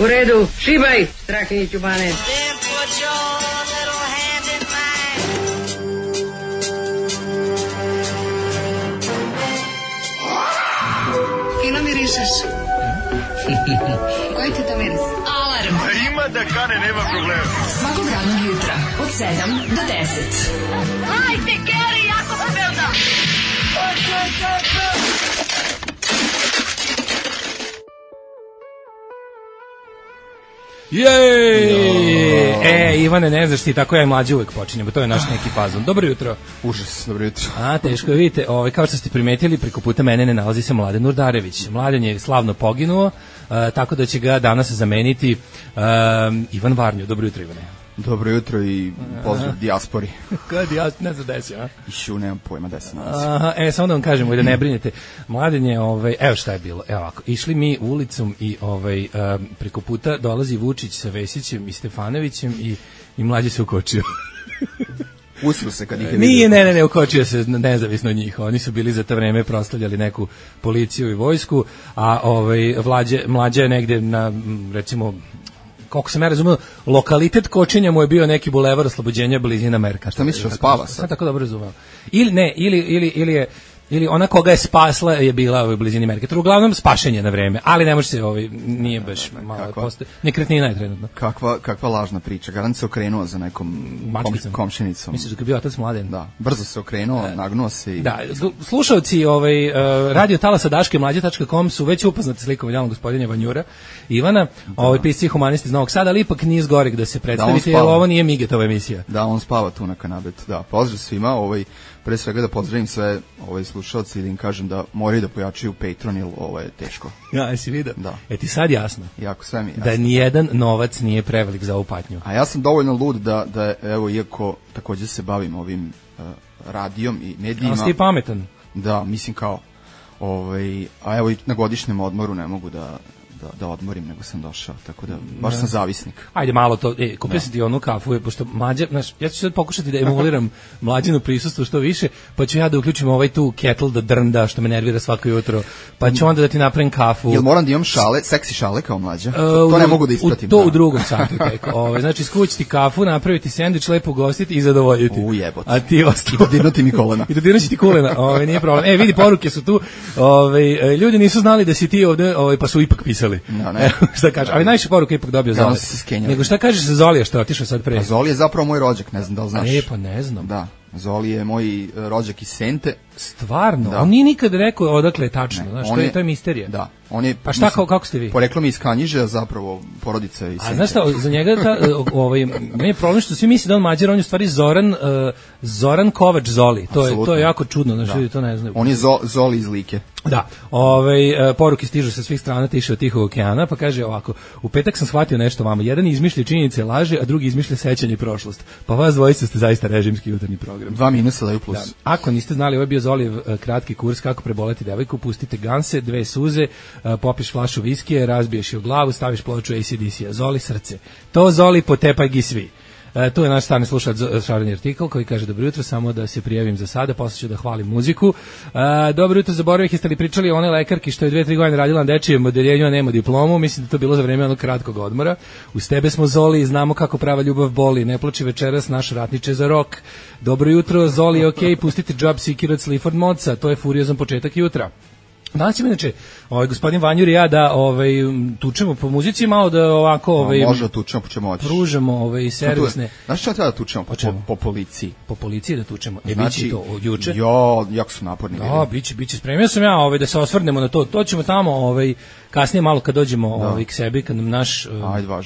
U redu, šibaj, Strahinji Ćubane. Fino mirišeš. Koji ti to miris? Alarm. Ima da kane, nema problema. Svakog radnog jutra, od 7 do 10. Hajde, Geri, jako se velda. Jej! Ivane, ne znaš ti, tako ja i mlađi uvek počinjemo, to je naš neki fazon. Dobro jutro. Užas, dobro jutro. Teško je, vidite, kao što ste primetili, preko puta mene ne nalazi se Mladen Urdarević. Mladen je slavno poginuo, tako da će ga danas zameniti Ivan Varnju. Dobro jutro, Ivane. Dobro jutro i pozdrav dijaspori. Kada dijaspori, ne znam desio, a? Išu, nemam pojma da se nalazi. Samo da vam kažemo, da ne brinete. Mladen je, evo šta je bilo, evo ovako, išli mi ulicom i preko puta dolazi Vučić sa Vesićem i Stefanovićem i mlađi se ukočio. Usru se kad ih je vidio. Nije, ne, ukočio se nezavisno od njih. Oni su bili za to vreme proslavljali neku policiju i vojsku, a mlađa je negde na, recimo, koliko sam ja razumio, lokalitet kočenja mu je bio neki bulevar Oslobođenja blizina Merkata. Šta misliš, spava sad? Tako dobro razumeo. Ili ona koga je spasla je bila u blizini Merkata. Uglavnom spašen je na vreme, ali ne može se nije baš malo postoje. Nekretnina je trenutno. Kakva lažna priča. Garant se okrenuo za nekom komšinicom. Misliš da je bio otac Mladen? Da, brzo se okrenuo, nagnuo se i... Da, slušalci radio talasa Daške mlađe.com su već upoznati slikom idealnog gospodina Vanjura Ivana, pisci humanisti iz Novog Sada, ali ipak nije zgoreg da se predstavite, jer ovo nije Migetova emisija. Da, on spava tu na kanabetu. Da, pozdrav svima, pre svega da pozdravim sve slušalci i da im kažem da moraju da pojačaju Patreon, jer ovo je teško. Ja, jesi vidio? Da. Ti sad jasno? Jako, sve mi jasno. Da nijedan novac nije prevelik za ovu patnju. A ja sam dovoljno lud da evo, iako također se bavim ovim radijom i medijima... Ali si ti pametan? Da, mislim kao... a evo i na godišnjem odmoru ne mogu da odmorim, nego sam došao, tako da baš sam zavisnik. Ajde malo to, kupio sam ti onu kafu, pošto mlađa, ja ću sad pokušati da emuliram mlađino prisustvo što više, pa ću ja da uključim tu kettle da drnda, što me nervira svako jutro, pa ću onda da ti napravim kafu. Jel moram da imam šale, seksi šale kao mlađa? To ne mogu da ispratim. To u drugom satu tek. Znači, skući ti kafu, napraviti sendvič, lepo ugostiti i zadovoljiti. Jebote. A ti ostalo. I dodirnuti mi kolena. I dodirnuti ti kolena, nije problem. Vidi, poruke su tu. Ljudi nisu znali da si ti ovde, pa su ipak pisali. Ne. Šta kaže? Ali najviše poruka ipak dobio Zoli. Nego šta kažeš za Zolija što je otišao sad pre? A Zoli je zapravo moj rođak, ne znam da li znaš. Pa ne znam. Da, Zoli je moj rođak iz Sente. Stvarno? Da. On nije nikad rekao odakle je tačno, znaš, to je misterija. Da. On je, pa šta, kako ste vi? Poreklo mi iz Kanjiže, zapravo porodica iz Sente. A znaš šta, za njega meni je problem što svi misle da on Mađar, on je u stvari Zoran Kovač Zoli. To je jako čudno, znaš, ljudi to ne znaju. On je Zoli iz Like. Da, poruke stižu sa svih strana tiše od Tihog okeana, pa kaže ovako: u petak sam shvatio nešto vama, jedan izmišlja činjenice, laže, a drugi izmišlja sećanje i prošlost. Pa vas dvojica ste zaista režimski jutarnji program. 2 minusa daju plus. Da. Ako niste znali, ovo je bio Zolijev kratki kurs kako preboleti devojku, pustite ganse, 2 suze, popiš flašu viskije, razbiješ je u glavu, staviš ploču AC/DC-a. Zoli srce. To Zoli potepaj gi svi. Tu je naš stvarni slušalac Šareni artikl koji kaže: dobro jutro, samo da se prijavim za sada, posle ću da hvalim muziku. Dobro jutro, zaboravih, jeste li pričali o one lekarki što je 2-3 godine radila na dečijem odeljenju, a nema diplomu? Mislim da to bilo za vreme onog kratkog odmora. Uz tebe smo Zoli i znamo kako prava ljubav boli. Ne plači večeras naš ratniče za rok. Dobro jutro, Zoli, okej, pustite Job Seeker od Sleaford Modsa, to je furiozan početak jutra. Danas ćemo inače gospodin Vanjur i ja da tučemo po muzici, malo da ovako može tučemo, po čemu hoćeš. Pružamo servisne. Znaš šta treba da tučemo? Po policiji. Po policiji da tučemo. Znači, biće to juče. Jako su naporni. Da, biće. Spremio sam ja da se osvrnemo na to. To ćemo tamo kasnije malo kad dođemo k sebi, kad nam naš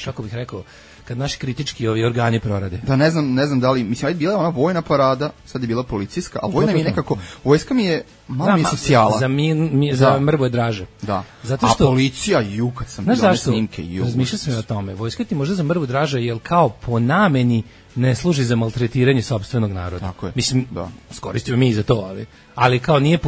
kako bih rekao, kad naši kritički organi prorade. Da, ne znam da li, mislim, bila je ona vojna parada, sad je bila policijska, a vojna mi je nekako, vojska mi je, malo mi je socijala. Za mrvo je draže. Da. Zato što, a policija, kad sam vidio one snimke, razmišljao sam o tome, vojska ti možda za mrvu draže, jer kao po nameni ne služi za maltretiranje sopstvenog naroda. Tako je. Mislim, da. skoristimo mi za to, ali kao nije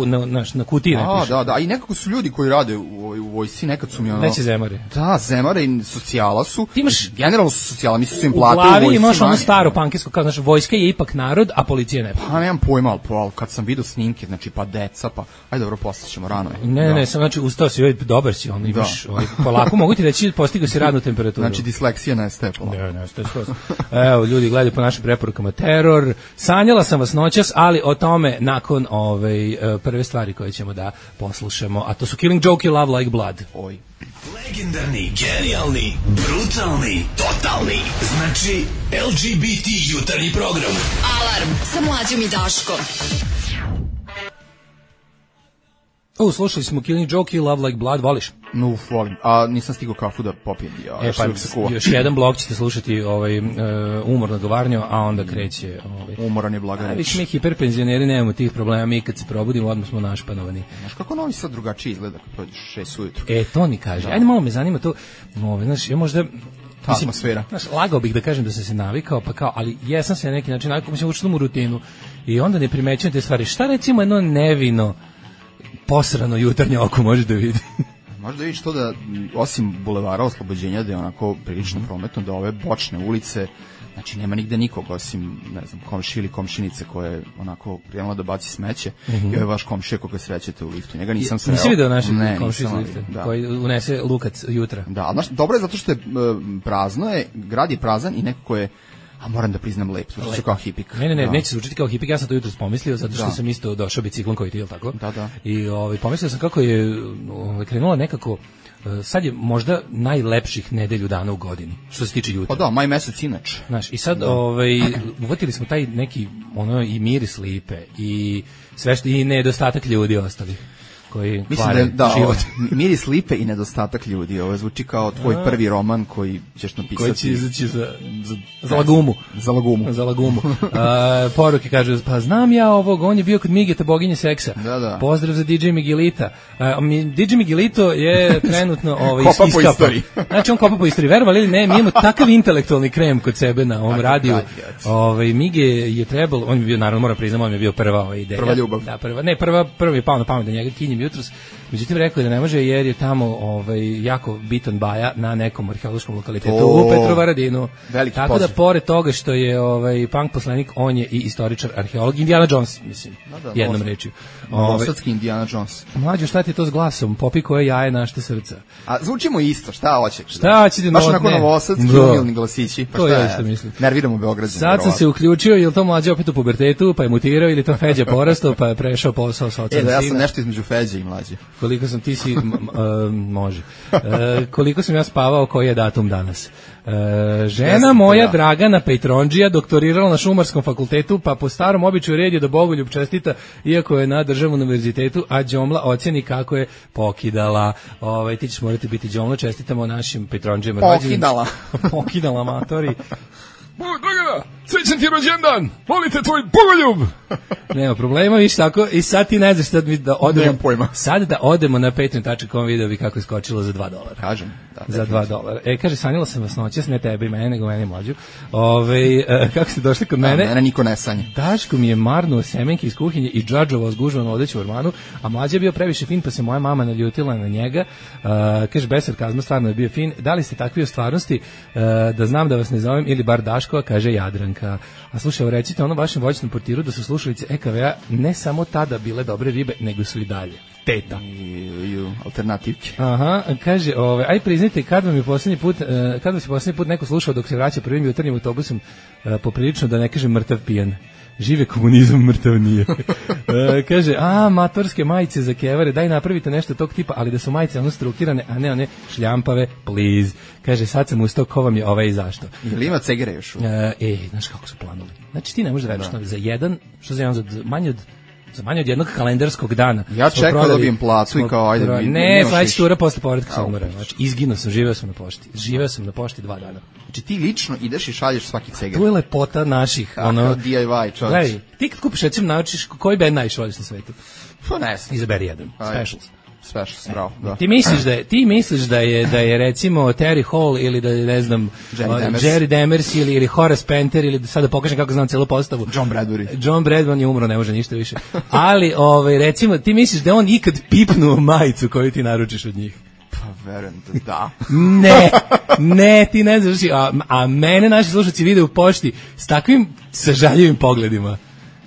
na kutiji ne piše. Da, i nekako su ljudi koji rade u vojsci, nekad su mi ono... Neće zemare. Da, zemare i socijala su. Ti imaš, generalno su socijala, mislim su im u plate u glavi vojsci. Imaš ono staro pankersko, kao, znači, vojska je ipak narod, a policija ne. Pa nemam pojma, ali kad sam vidio snimke, znači, pa deca, pa... Ajde, dobro, poslaćemo, rano je. Ne, sam, znači, ustao si, dobar si, ono, imaš, polako, mogu ti reći, postigao si radnu temperaturu. Znači, disleksija nestaje polako. Ne, nestaje skroz. Evo, ljudi gledaju po našim preporukama teror. Sanjala sam vas noćas, ali o tome nakon prve stvari koje ćemo da poslušamo, a to su Killing Joke i Love Like Blood. Oj. Legendarni, genijalni, brutalni, totalni. Znači, LGBT jutarnji program. Alarm sa Mlađom i Daškom. Slušali smo Killing Joke i Love Like Blood, voliš? No, volim. A nisam stigao kafu da popijem. Još jedan blok ćete slušati umorno govarnjo, a onda kreće... Umoran je blaga reč. Viš mi hiperpenzioneri nemamo tih problema, mi kad se probudimo odmah smo našpanovani. Znaš kako Novi Sad drugačije izgleda kad prođeš 6 ujutru? To ni kaže. Ajde malo me zanima to, znaš, ja možda... Atmosfera. Znaš, lagao bih da kažem da sam se navikao, pa kao, ali jesam se na neki način navikao, mislim, učinu u rutinu i onda ne primećujem te stvari. Šta recimo jedno nevino posrano jutarnje oko može da vidi? Možda vidiš to da, osim bulevara Oslobođenja, da je onako prilično prometno, da ove bočne ulice, znači nema nigde nikog osim, ne znam, komšije ili komšinice koje je onako krenula da baci smeće i ovaj vaš komšija koga srećete u liftu. Njega nisam sreo. Nisi vidio našeg komšiju iz lifta koji unese lukac jutra? Da, znaš, dobro je zato što je prazno, grad je prazan i nekako je, a moram da priznam lep, zvuči kao hipik. Ne, neće zvučiti kao hipik, ja sam to jutros pomislio, zato što sam isto došao biciklom koji ti, je li tako? Da. I pomislio sam kako je krenula nekako, sad je možda najlepših nedelju dana u godini, što se tiče jutra. Pa da, maj mesec inače. Znaš, i sad uvatili smo taj neki, i miris lipe, i sve što, i nedostatak ljudi ostali. Koji mislim da miris lipe i nedostatak ljudi. Ovo zvuči kao tvoj prvi roman koji ćeš napisati. Koji će izaći za lagumu. Za lagumu. Poruke kažu, pa znam ja ovog, on je bio kod Migeta, boginje seksa. Da. Pozdrav za DJ Miguelita. DJ Miguelito je trenutno kopa po istoriji. Znači on kopa po istoriji. Verovali ili ne, mi imamo takav intelektualni krem kod sebe na ovom radiju. Mige je trebalo, on je bio, naravno moram priznam, on je bio prva ideja. Prva ljubav. Da, prvi je pao na pamet da njega kinjem jutros. Međutim, rekao je da ne može jer je tamo jako bitan baja na nekom arheološkom lokalitetu u Petrovaradinu. Tako da, pored toga što je punk poslanik, on je i istoričar, arheolog, Indiana Jones, mislim, jednom rečju. Novosadski Indiana Jones. Mlađo, šta ti to s glasom? Popi koje jaje našte srca. A zvučimo isto, šta hoće? Šta će ti baš onako novosadski umilni glasići. Pa to je isto mislim. Nerviramo Beograđane. Sad sam se uključio, je li to mlađe opet u pubertetu, pa je mutirao, ili to Feđa porastao, pa je prešao posao sa ocem sina. Ja sam nešto između Feđe i mlađe. Koliko sam ti si, može. Koliko sam ja spavao, koji je datum danas? Žena moja Dragana Petrondžija doktorirala na Šumarskom fakultetu, pa po starom običaju red je da Bogoljub čestita, iako je na državnom univerzitetu, a Đomla ocjeni kako je pokidala. Ti ćeš morati biti Đomla, čestitamo našim Petrondžijama. Pokidala, matori. Dragana, srećan ti rođendan, volite tvoj Bogoljub. Nema problema, viš tako, i sad ti ne znaš sad mi da odemo. Nemam pojma. Sad da odemo na patreon.com, video bi kako je skočilo za $2. Kažem. Za $2. Kaže, sanjala sam vas noćas, ne tebe i mene, nego mene mlađu. Kako ste došli kod mene? Mene niko ne sanje. Daško mi je marnuo semenke iz kuhinje i džadžovao zgužvano odeću u ormanu, a mlađa je bio previše fin, pa se moja mama naljutila na njega. Kaže, bez sarkazma, stvarno je bio fin. Da li ste takvi u stvarnosti, da znam da vas ne zovem, ili bar Daškova, kaže Jadranka. A slušaj, recite onom vašem voćnom portiru da su slušalice EKV-a ne samo tada bile dobre ribe, nego su i dalje. Teta. I alternativke. Aha, kaže, aj priznajte, kad vas je posljednji put neko slušao dok se vraća prvim jutarnjim autobusom, poprilično da ne kaže mrtav pijan. Žive komunizam, mrtav nije. Kaže, matorske majice za kevare, daj napravite nešto tog tipa, ali da su majice ono strukirane, a ne one šljampave, please. Kaže, sad sam ustao, ko vam je i zašto? Ili ima cegere još? Znaš kako su planovi. Znači ti ne možeš da veriš za jedan, što za jedan, za manje od jednog kalendarskog dana. Ja čekam da dobijem platu i kao, ajde. Ne, sledeći tura posle povratka sa umora. Znači, izginuo sam, živeo sam na pošti. Živeo sam na pošti 2 dana. Znači, ti lično ideš i šalješ svaki ceger. To je lepota naših. DIY, čovječ. Gledaj, ti kad kupiš, recimo, naučiš koji band najviše voliš na svetu. Pa ne znam. Izaberi jedan. Specials. Specials, bravo, da. Ti misliš da je recimo Terry Hall ili da je, ne znam, Jerry Demers ili Horace Penter ili sada pokažem kako znam celu postavu. John Bradbury je umro, ne može ništa više. Ali recimo ti misliš da on ikad pipnuo majicu koju ti naručiš od njih? Pa verujem da. Ne, ti ne znaš. A mene naši slušalci vide u pošti s takvim sažaljivim pogledima.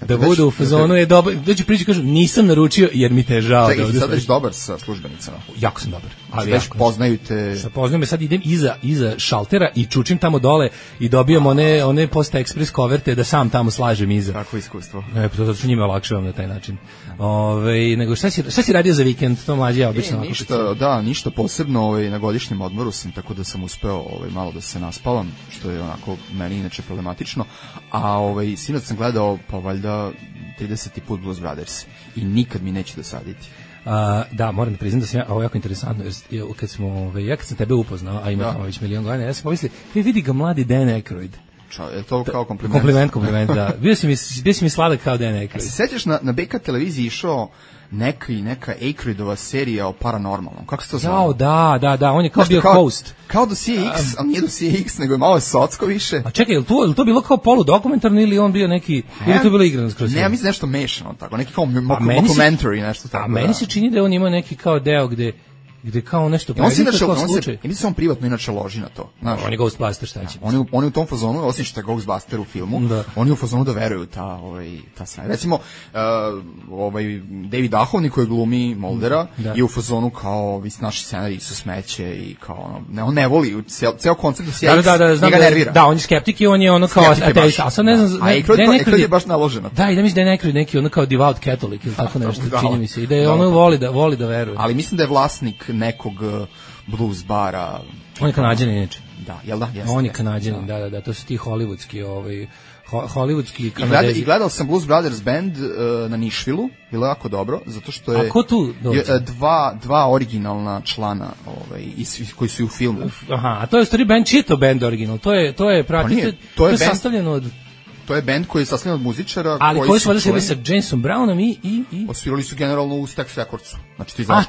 Da bude u fazonu je dobro. Dođu priđu kažu nisam naručio jer mi te je žao. Čekaj, sad već dobar sa službenicama. Jako sam dobar. Ali već poznaju te. Poznajem me, sad idem iza šaltera i čučim tamo dole i dobijam one Posta Express koverte da sam tamo slažem iza. Kako iskustvo. To su njima olakšavam na taj način. Nego šta si radio za vikend? To mlađi ja obično. Ništa posebno, na godišnjem odmoru sam, tako da sam uspeo malo da se naspavam, što je onako meni inače problematično. A sinoć sam gledao pa valjda 30. put Blues Brothers i nikad mi neće dosaditi. Da, moram da priznam da sam ovo jako interesantno, jer kad sam tebe upoznao, a ima tamo već milion godina, ja sam pomislio, vidi ga mladi Dan Aykroyd. Je to kao kompliment? Kompliment, da. Bio si mi sladak kao Dan Aykroyd. Se sećaš na BK televiziji išao neka Aykroydova serija o paranormalnom. Kako se to zvao? Da, on je kao bio host. Kao Dosije X, ali nije Dosije X, nego je malo socko više. A čekaj, je li to bilo kao poludokumentarno ili on bio neki, ili to bilo igrano skroz? Ne, ja mislim nešto mešano tako, neki kao mockumentary, nešto tako. A meni se čini da on ima neki kao deo gde kao nešto Ili se on privatno inače loži na to. On je Ghostbuster, šta će? On je u tom fazonu, osim što je Ghostbuster u filmu, on je u fazonu da veruju ta sna. Recimo, David Duchovny koji glumi Muldera je u fazonu kao, vi naši scenariji su smeće i kao on ne voli, ceo koncept njega nervira. Da, on je skeptik i on je ono kao ateista. A sad ne znam, a Aykroyd je baš naložen na to. Da, i da mislim da je Aykroyd neki ono kao devout Catholic ili tako nešto, čini mi se. I da je ono voli da veruje. Ali mislim da je vlasnik nekog blues bara. On je Kanađanin inače. Da, jel da? On je Kanađanin, da, to su ti hollywoodski Kanadezi. I gledao sam Blues Brothers band na Nišvilu, bilo jako dobro, zato što je... A ko tu dođe? Dva originalna člana koji su i u filmu. Aha, a to je stvari band, čiji je to band original? To je sastavljeno od... To je band koji je sastavljen od muzičara. Ali koji su svirali sa Jamesom Brownom i... Osvirali su generalno u Stax Recordsu.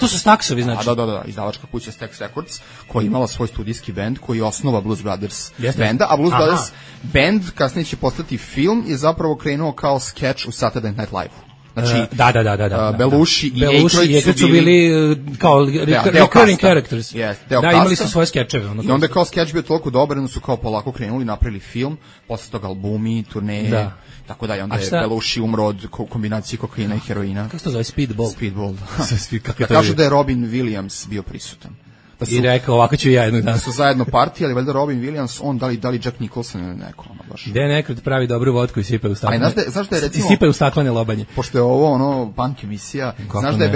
To su Staxovi, znači? Da, izdavačka kuća Stax Records, koja je imala svoj studijski band, koji je osnova Blues Brothers benda, a Blues Brothers band, kasnije će postati film, je zapravo krenuo kao skeč u Saturday Night Live-u. Znači, da. Belushi i Aykroyd su bili kao recurring characters. Da, imali su svoje skečeve. I onda kao skeč bio toliko dobar, onda su kao polako krenuli, napravili film, posle toga albumi, turneje, tako da. I onda je Belushi umro od kombinacije kokaina i heroina. Kako se to zove? Speedball. Kažu da je Robin Williams bio prisutan. I rekao, ovako ću ja jednog dana. Su zajedno partije, ali valjda Robin Williams, on da li Jack Nicholson ili neko. Dan Aykroyd pravi dobru vodku i sipa u staklene. Znaš da je recimo... I sipa u staklene lobanje. Pošto je ovo punk emisija, znaš da je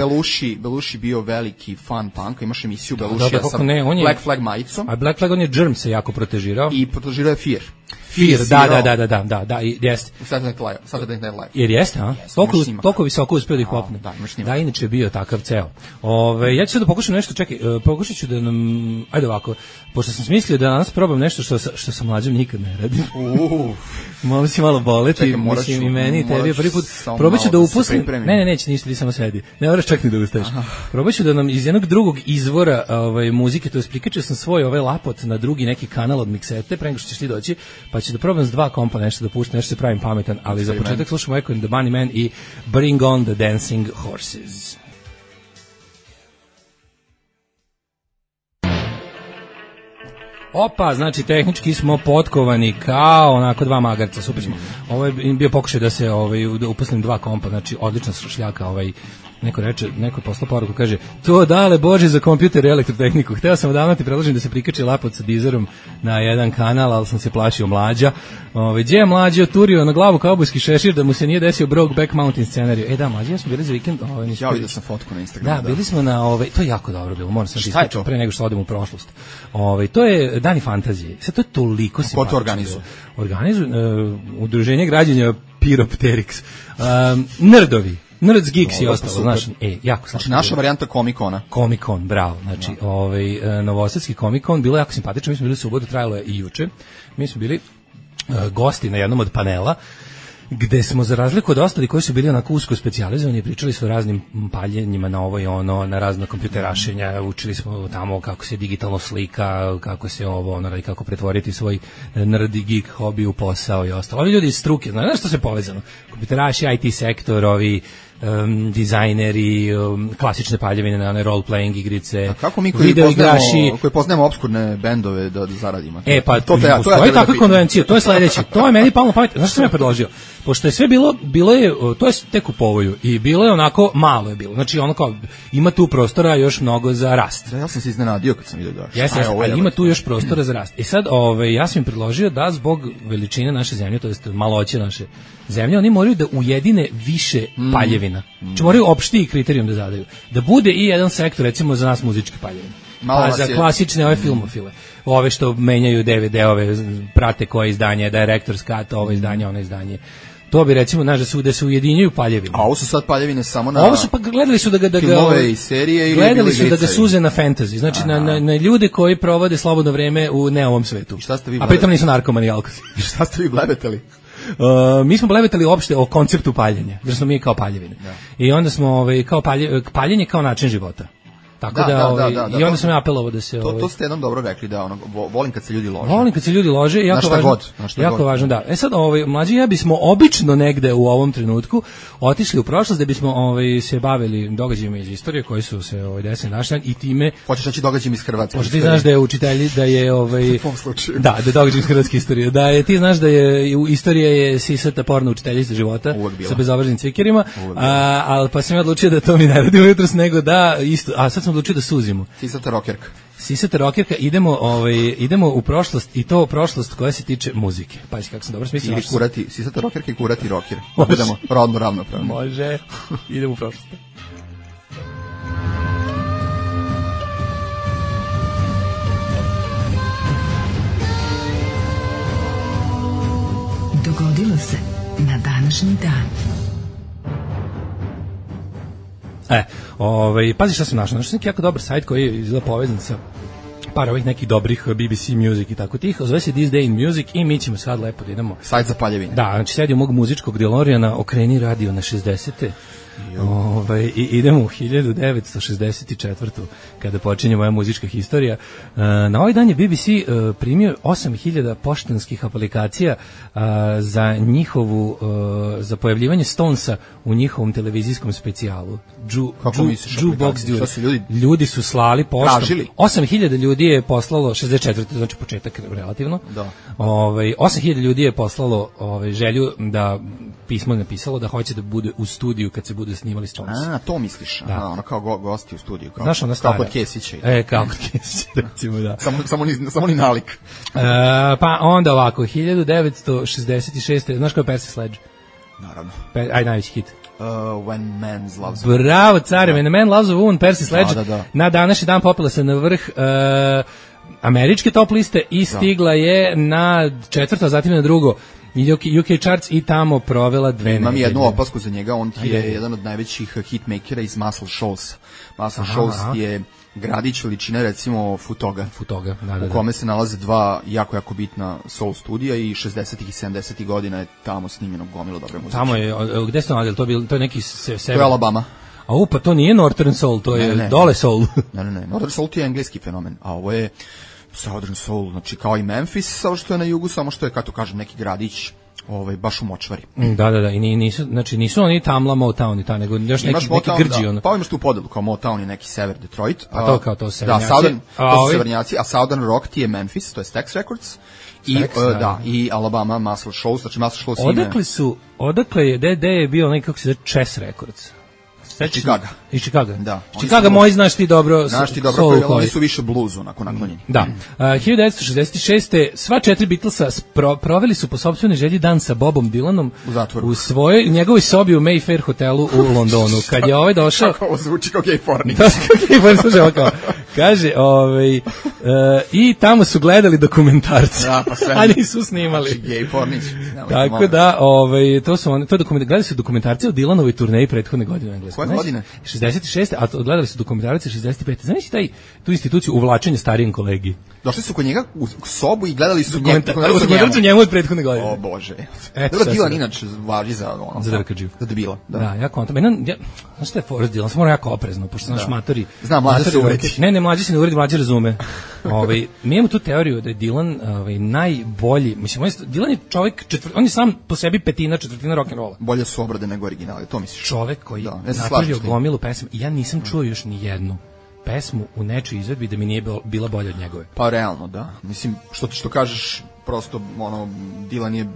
Belushi bio veliki fan punka, imaš emisiju Belushija sa Black Flag majicom. A Black Flag on je Germ se jako protežirao. I protežirao je Fear, da, jeste. Saturday Night Live. Jer jeste, a? Toliko visoko uspio da ih popne. Da, inače je bio takav ceo. Ja ću sad da pokušam nešto, čekaj, pokušat ću da nam, ajde ovako, pošto sam smislio da danas probam nešto što sa mlađom nikad ne radim. Malo si malo boleti, mislim i meni i tebi prvi put. Probat ću da upustim, ne, neće ništa, ti samo sedi. Ne moraš čak ni da ustaješ. Probat ću da nam iz jednog drugog izvora muzike, to je prikačio sam svoj lapot na drugi neki kanal od miksete, pre nego što ćeš ti doći, pa ću da probam s dva kompa nešto da puštam, nešto se pravim pametan, ali za početak slušamo Echo and the Bunnymen i Bring on the Dancing Horses. Opa, znači tehnički smo potkovani kao onako dva magarca, super smo. Ovo je bio pokušaj da se da upustim dva kompa, znači odlična šljaka, neko poslao poruku, kaže, to dale Bože za kompjuter i elektrotehniku. Hteo sam odavno ti predložim da se prikači lapot sa dizerom na jedan kanal, ali sam se plašio Mlađa. Gdje je Mlađa oturio na glavu kaubojski šešir da mu se nije desio Brokeback Mountain scenariju. Da, Mlađa, ja smo bili za vikend. Ja vidio sam fotku na Instagramu. Da, bili smo na to je jako dobro bilo, moram sam ti ispričati pre nego što odem u prošlost. To je Dani fantazije. Sad to je toliko simpatično. Ko to organizuje? Organizuje udruženje građana Pyropterix. Nerdovi. Nerds Geeks i ostalo, znaš, jako znači naša varijanta Comic-Cona. Comic-Con, bravo, znači, novosadski Comic-Con, bilo je jako simpatično, mi smo bili u subotu, trajalo je i juče, mi smo bili gosti na jednom od panela, gde smo za razliku od ostalih koji su bili onako usko specijalizovani, pričali su o raznim paljenjima na ovo i ono, na razna kompjuterašenja, učili smo tamo kako se digitalno slika, kako se ovo, ono, kako pretvoriti svoj nerd i geek hobi u posao i ostalo. Ovi ljudi iz struke, znaš što se povezano? Kompjuteraši, IT sektor, ovi dizajneri, klasične paljevine na one role-playing igrice, a kako mi koji poznajemo obskurne bendove da zaradimo? Pa to je takva konvencija, to je sledeće. To je meni palo na pamet. Znaš što sam ja predložio? Pošto je sve bilo je, to je tek u povoju i bilo je onako, malo je bilo. Znači ono kao, ima tu prostora još mnogo za rast. Da, ja sam se iznenadio kad sam vidio da. Jeste, ima tu još prostora za rast. I sad, ja sam im predložio da zbog veličine naše zemlje, to jest maloće naše zemlje, oni moraju da ujedine više paljevina. Znači moraju opštiji kriterijum da zadaju. Da bude i jedan sektor, recimo za nas muzičke paljevine. Pa za klasične ove filmofile. Ove što menjaju DVD-ove, prate koje izdanje, Director's Cut, ovo izdanje, ono izdanje. To bi recimo, znaš, da se ujedinjuju paljevine. A ovo su sad paljevine samo na... Ovo su pa gledali su da ga filmove i serije ili gledali su da ga suze na fantasy. Znači na ljude koji provode slobodno vreme u neovom svetu. A pritom nisu narkomani i alkosi. I šta ste vi blebetali? Mi smo blebetali uopšte o konceptu paljenja, jer smo mi kao paljevine. Da. I onda smo kao paljenje kao način života. Tako da, i onda sam ja apelovao da se... To ste jednom dobro rekli, da volim kad se ljudi lože. Volim kad se ljudi lože, jako važno, da. E sad, mlađi ja bismo obično negde u ovom trenutku otišli u prošlost da bismo se bavili događajima iz istorije koji su se desili naš dan i time... Hoćeš reći događajima iz Hrvatske? Možda ti znaš da je učitelj, da je... U tom slučaju. Da je događaj iz hrvatske istorije. Ti znaš da je istorija je sisata porna učiteljica života sa bezobraženim cvikerima, ali pa sam ja odlučio da to mi ne radimo jutros, nego da isto... A sad sam odlučio da suzimo. Sisata rokerka, idemo u prošlost i to prošlost koja se tiče muzike. Pazi kako sam dobro smislio. Ili kurati, sisata rokerka i kurati roker. Budemo rodno ravnopravni. Može. Idemo u prošlost. Dogodilo se na današnji dan. Pazi šta sam našao. Našao sam neki jako dobar sajt koji je izgleda povezan sa par ovih nekih dobrih BBC Music i tako tih. Zove se This Day in Music i mi ćemo sad lepo da idemo. Sajt za paljevine. Da, znači sedi u mog muzičkog DeLoreana, okreni radio na 60-te. I idemo u 1964. kada počinje moja muzička historija. Na ovaj dan je BBC primio 8000 poštanskih aplikacija za njihovu za pojavljivanje Stonesa u njihovom televizijskom specijalu. Ljudi su slali poštom. 8000 ljudi je poslalo 64. znači početak relativno. Da. 8000 ljudi je poslalo želju da pismo napisalo da hoće da bude u studiju kad se bude snimali Stones. To misliš? Da. Ono kao gosti u studiju. Znaš, ona stara. Kao kod Kesića. Kao kod Kesića, recimo, da. Samo ni nalik. Pa onda ovako, 1966. Znaš kao je Percy Sledge? Naravno. Najveći hit. When Man Loves a Woman. Bravo, care, When Man Loves a Woman, Percy Sledge. Da. Na današnji dan popela se na vrh američke top liste i stigla je na četvrto, a zatim na drugo UK Charts i tamo provela 2 nedelje. Imam jednu opasku za njega, on ti je jedan od najvećih hitmakera iz Muscle Shoals. Muscle Shoals je gradić veličine recimo Futoga, da. U kome se nalaze dva jako bitna soul studija i 60-ih i 70-ih godina je tamo snimljeno gomilo dobre muzike. Tamo je, gde ste nalazili? To je neki sever. To je Alabama. Pa to nije Northern Soul, to je dole Soul. Ne. Northern Soul je engleski fenomen, a ovo je Southern Soul, znači kao i Memphis, samo što je na jugu, samo što je, kako kažem, neki gradić baš u močvari. Da, i nisu oni Tamla, Motown i ta, nego još neki grđi. Da. Pa imaš tu podelu, kao Motown je neki sever Detroit. A to kao to severnjaci. Da, to su severnjaci, a Southern Rock ti je Memphis, to je Stax Records. I Alabama Muscle Shoals, znači Muscle Shoals Odakle je, gde je bio onaj, kako se zove, Chess Records? Iz Chicaga. Da. Chicaga moji znaš ti dobro. Oni su više bluzu naklonjeni. Da. 1966. sva 4 Beatlesa proveli su po sopstvenoj želji dan sa Bobom Dylanom u svojoj njegovoj sobi u Mayfair hotelu u Londonu. Kad je došao... Kako ovo zvuči kao gej pornik. Kaže, i tamo su gledali dokumentarce, pa sve. a nisu snimali. Znači, gej pornić. Tako da, gledali su dokumentarce o Dylanovoj turneji prethodne godine u Engleskoj. Koje godine? 66. A gledali su dokumentarce 65. Znaš tu instituciju uvlačenja starijem kolegi? Došli su kod njega u sobu i gledali su njemu od prethodne godine. O Bože. Dobro, Dylan inače važi za drkađiju. Za debila. Da, ja kontam. Znaš šta je Forrest Dylan? Sam mora jako oprezno, pošto sam naš matori. Znam, mlađe se uredi. Ne, mlađe se ne uredi, mlađe razume. Mi imamo tu teoriju da je Dylan najbolji. Mislim, Dylan je čovjek, on je sam po sebi četvrtina rock'n'rolla. Bolje su obrade nego originali, to misliš? Čovjek koji napravio gomilu pesama. Ja nisam čuo još ni jednu pesmu u nečoj izvedbi da mi nije bila bolja od njegove. Pa realno, da. Mislim, što kažeš, prosto, Dylan je,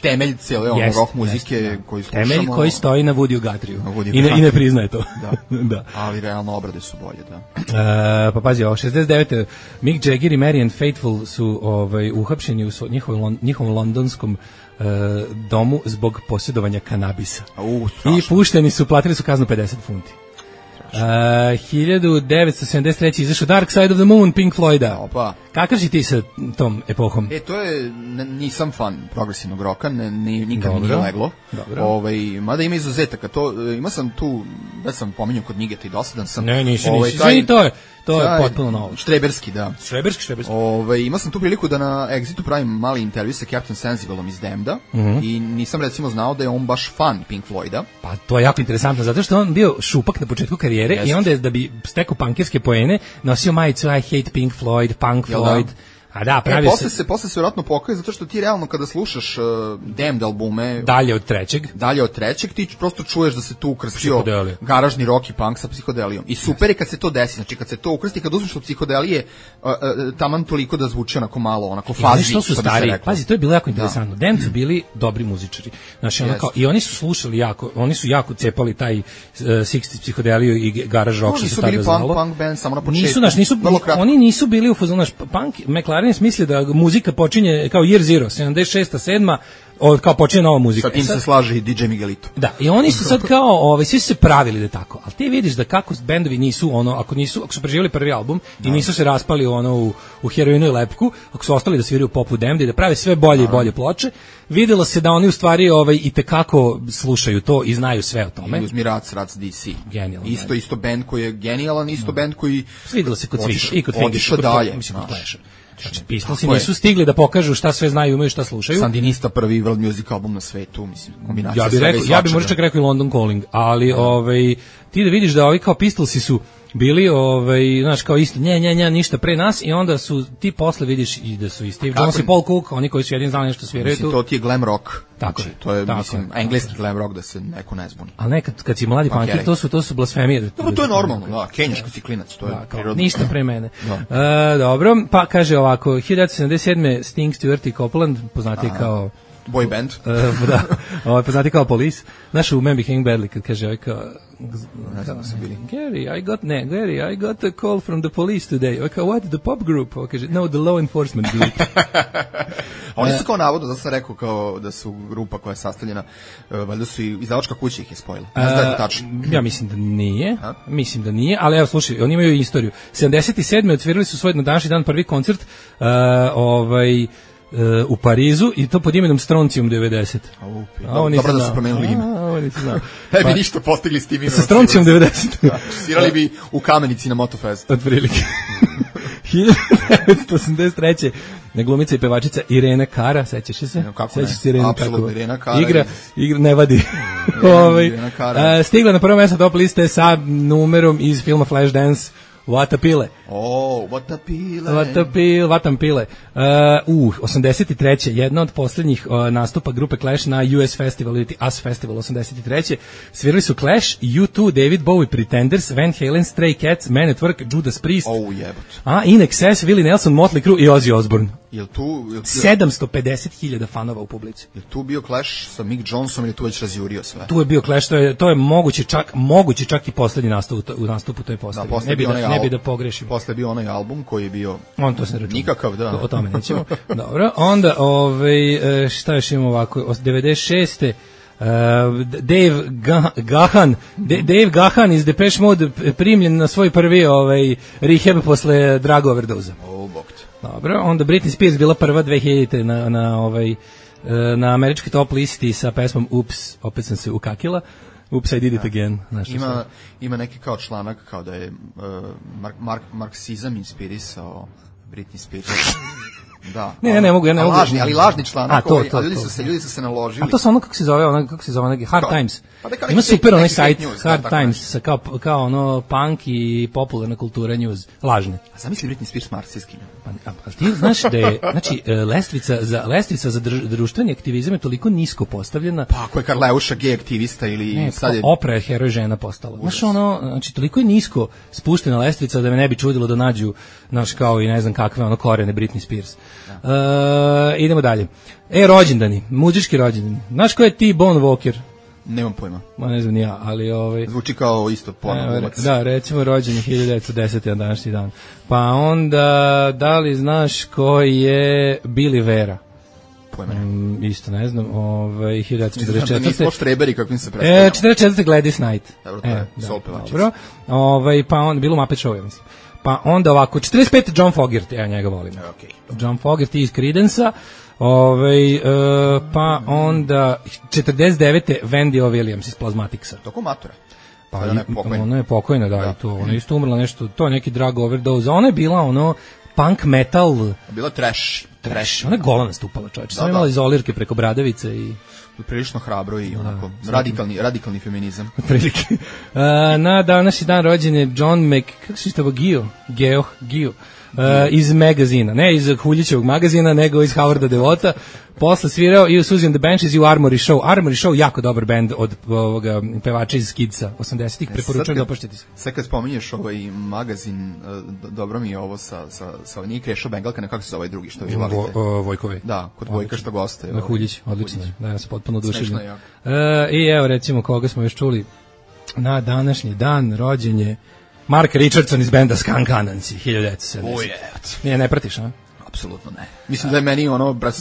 temelj cijele rock muzike koji slušamo. Temelj koji stoji na Woody Guthrieju. I ne priznaje to. Da. Ali realno obrade su bolje, da. Pa pazi, 69. Mick Jagger i Marianne Faithfull su uhapšeni u njihovom londonskom domu zbog posjedovanja kanabisa. I pušteni su, platili su kaznu 50 funti. 1973. izašao Dark Side of the Moon, Pink Floyda. Opa. Kakav si ti sa tom epohom? To je, nisam fan progresivnog roka, nikad mi nije leglo. Mada ima izuzetaka. Ima sam tu, da sam pominjao kod Nigeta i dosadan sam. Nisi. To je potpuno novo. Štreberski, da. Štreberski. Ima sam tu priliku da na Exitu pravim mali intervju sa Captain Sensible-om iz Damneda i nisam recimo znao da je on baš fan Pink Floyda. Pa to je jako interesantno, zato što on bio šupak na početku karijere i onda je, da bi stekao punkirske poene, nosio majicu I hate Pink Floyd, Punk Floyd. A da, pravio posle se vjerojatno pokaje, zato što ti realno kada slušaš Damned albume dalje od trećeg ti prosto čuješ da se tu ukrstio garažni rock i punk sa psihodelijom. I super je kad se to desi, znači kad se to ukrsti, kad uzmeš od psihodelije taman toliko da zvuči onako malo, onako fazi. Što su stari, pazi, to je bilo jako interesantno. Damned su bili dobri muzičari. Znači, i oni su slušali jako, oni su jako cepali taj 60s psihodeliju i garaž rock, što se tada znalo. Nisu bili punk band samo na početku. Oni nisu bili u fazonu, punk, McLaren misli da muzika počinje kao Year Zero, 76. 7. kao počinje nova muzika. Sa tim se slaže i DJ Miguelito. Da, i oni su sad kao, svi su se pravili da tako, ali ti vidiš da kako bendovi nisu ako su preživjeli prvi album i nisu se raspali u heroinu i lepku, ako su ostali da sviraju popu Damned i da prave sve bolje i bolje ploče, videlo se da oni u stvari i tekako slušaju to i znaju sve o tome. I uzmi Rac DC. Genijalan. Isto band koji je genijalan, isto band koji videlo se kod svih i kod otišao dalje. Znači, Pistolsi nisu stigli da pokažu šta sve znaju, imaju šta slušaju. Sandinista, prvi world music album na svetu, mislim, kombinacija ja bih možda čak rekao i London Calling, ali ti da vidiš da kao Pistolsi su bili, znaš, kao isto, ništa pre nas, i onda su ti posle vidiš i da su i Steve Jones i Paul Cook, oni koji su jedini znali nešto sviraju tu. To ti je glam rock. Tako znači, to je, mislim, engleski glam rock, da se neko ne zbuni. Ali nekad, kad si mladi punkir, to su blasfemije. Dobro, to je normalno, da, kenjaško si klinac, to je prirodno. Ništa pre mene. Dobro, pa kaže ovako, 1977. Sting, Stewart i Copeland, poznati kao boy band. Da, poznati kao Police. Znaš u Man Became Badly, kad kaže Gary, I got a call from the police today. What, the pop group? Kaže, no, the law enforcement group. Oni su kao navodno, zato sam rekao kao da su grupa koja je sastavljena, valjda su i izdavačka kuća ih je spojila. Ne znam da je to tačno. Ja mislim da nije, ali evo slušaj, oni imaju istoriju. 77. odsvirali su svoj na današnji dan prvi koncert, u Parizu, i to pod imenom Strontium 90. Dobro da su promenili ime. Ne bi ništa postigli s tim imenom. Sa Strontium 90. Svirali bi u Kamenici na Motofest. Otprilike. 1983. glumica i pevačica Irena Cara, sećaš se? Sećaš se Irena Cara? Irena Cara. Igra, ne vadi. Stigla na prvo mjesto top liste sa numerom iz filma Flashdance, What a Pile. What a Pile. 83. jedna od posljednjih nastupa grupe Clash na US Festival, ili US Festival 83. Svirali su Clash, U2, David Bowie, Pretenders, Van Halen, Stray Cats, Man at Work, Judas Priest, In Excess, Willie Nelson, Motley Crue i Ozzy Osbourne. 750.000 fanova u publici. Je tu bio Clash sa Mick Johnsonom ili tu već razjurio sve? Tu je bio Clash, to je moguće čak i posljednji nastup u toj postavi. Ne bi da pogrešimo. Posle je bio onaj album koji je bio nikakav, da. O tome nećemo. Dobro, onda šta još imamo ovako, 96. Dave Gahan iz Depeche Mode primljen na svoj prvi rehab posle drug overdoza. Dobro, onda Britney Spears bila prva 2000 na američkoj top listi sa pesmom Ups, opet sam se ukakila. Ups, I did it again. Ima neki kao članak kao da je marksizam inspirisao Britney Spears. Da. Ne mogu. Lažni članak. Ljudi su se naložili. A to su ono kako se zove neki Hard Times. Ima super onaj sajt Hard Times sa kao ono punk i popularna kultura news, lažne. A zamisli Britney Spears marksistkinja. A ti znaš da je lestvica za društveni aktivizam je toliko nisko postavljena. Pa ako je Karleuša gej aktivista ili sad je Oprah je heroj žena postala. Znaš znači toliko je nisko spuštena lestvica da me ne bi čudilo da nađu kao i ne znam kakve korene Britney Spears. Idemo dalje. Rođendani, muzički rođendani. Znaš ko je T-Bone Walker? Nemam pojma. Ne znam ni ja, ali zvuči kao isto porno. Da, recimo rođen je 1910. na današnji dan. Pa onda, da li znaš ko je Billy Vera? Pojma isto ne znam. 1944. Da nismo štreberi kakvim se predstavljamo. 1944. Gladys Knight. Dobro, to je soul pevačica. Dobro. Pa onda, bilo Muppet Show, ja mislim. Pa onda ovako, 45. John Fogerty, ja njega volim. Okay. John Fogerty iz Creedence-a. Pa onda 49. Wendy O. Williams iz Plasmaticsa. Toko matura. Pa ona je pokojna, da, i to. Ona je isto umrla nešto, to je neki drug overdose. Ona je bila punk metal. Bila trash. Ona je gola nastupala, čovječe. Samo imala izolirke preko bradavice i prilično hrabro i onako radikalni feminizam. Prilike. Na današnji dan rođen je John Geo iz magazina, ne iz Huljićevog magazina, nego iz Howarda Devota. Posle svirao i u Suzy and the Banshees i u Armory Show. Armory Show, jako dobar bend od pevača iz Skidsa 80-ih, preporučujem da opaštite se. Sad kad spominješ ovaj magazin, dobro mi je ovo sa nije Krešo Bengalka, nekako se zove ovaj drugi što vi volite. Vojkovi. Da, kod Vojka što goste. Na Huljić, odlično. Da, ja sam potpuno oduševljen. I evo recimo koga smo još čuli na današnji dan, rođen je Mark Richardson iz benda Skunk Anansi, 1970. Nije, ne pratiš, a? Apsolutno ne. Mislim da je meni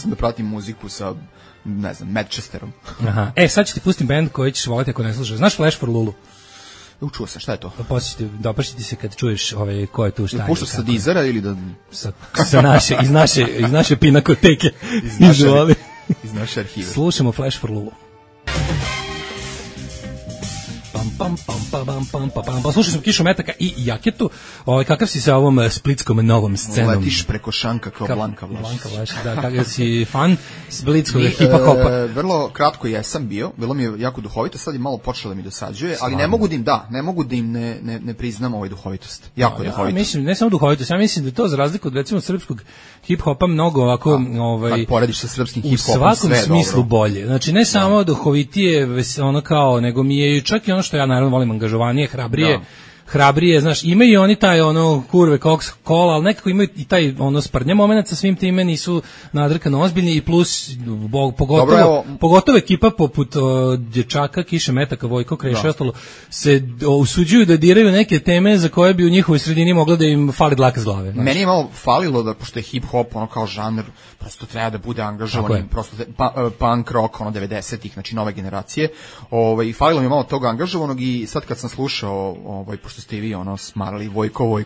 da pratim muziku sa, ne znam, Manchesterom. Aha. Sad ću ti pustim bend koji ćeš voliti ako ne slušaš. Znaš Flash for Lulu? Učuo sam, šta je to? Dopašiti se kad čuješ ko je tu šta. Puštaš sa Deezera ili da... Iz naše pinakoteke. Iz naše arhive. Slušamo Flash for Lulu. Pa slušao sam Kišu Metaka i Jaketu. Kakav si sa ovom splitskom novom scenom? Letiš preko šanka kao Blanka Vlašić. Da, kakav si fan splitskog hipa-hopa? Vrlo kratko jesam bio, bilo mi je jako duhovito, sad je malo počelo da mi dosađuje, ali ne mogu da im ne priznam ovaj duhovitost. Jako duhovito. Mislim, ne samo duhovitost, ja mislim da to za razliku od recimo srpskog hip-hopa mnogo ovako... Kad porediš sa srpskim hip-hopom, sve u svakom smislu bolje. Znači, ne samo duhovitije, nego mi je čak i ono što ja naravno volim angažovanije, hrabrije, znaš, imaju i oni taj kurve kola, ali nekako imaju i taj sprdnja moment sa svim time, nisu nadrkano ozbiljni i plus pogotovo ekipa poput dječaka, Kiše Metaka, Vojko Kreša i ostalo se usuđuju da diraju neke teme za koje bi u njihovoj sredini mogla da im fali dlaka s glave. Znaš. Meni je malo falilo da, pošto je hip-hop kao žanr, prosto treba da bude angažovan, prosto punk rock 90-ih, znači nove generacije, falilo mi je malo toga angažovanog i sad kad sam slušao, pošto ste i vi smarali Vojko,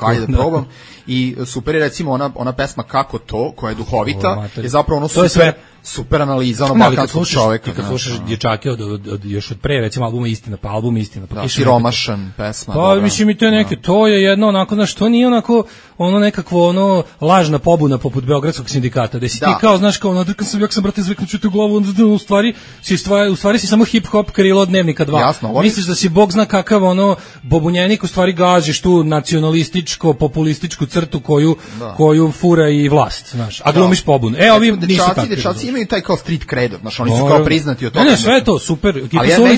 ajde da probam. I super je recimo ona pesma Kako to, koja je duhovita, je zapravo super analiza balkanskog čoveka. Kad slušaš dječake još od pre, recimo album Istina. Siromašan pesma. Pa mislim i to je neke, to je jedno onako, znaš, to nije onako nekakvo lažna pobuna poput Beogradskog sindikata, da si ti kao, znaš, kao nadrkan sam, jak sam brate zveknuću tu glavu, u stvari si samo hip-hop krilo od Dnevnika 2. Jasno, misliš da si Bog zna kakav bobunjenik, u stvari gaziš tu nacionalističko, populističku crtu koju fura i vlast, znaš, a glumiš pobun. Ovi nisu takvi. Dečaci imaju taj kao street cred, znaš, oni su kao priznati od toga. Ne, sve je to, super. Ali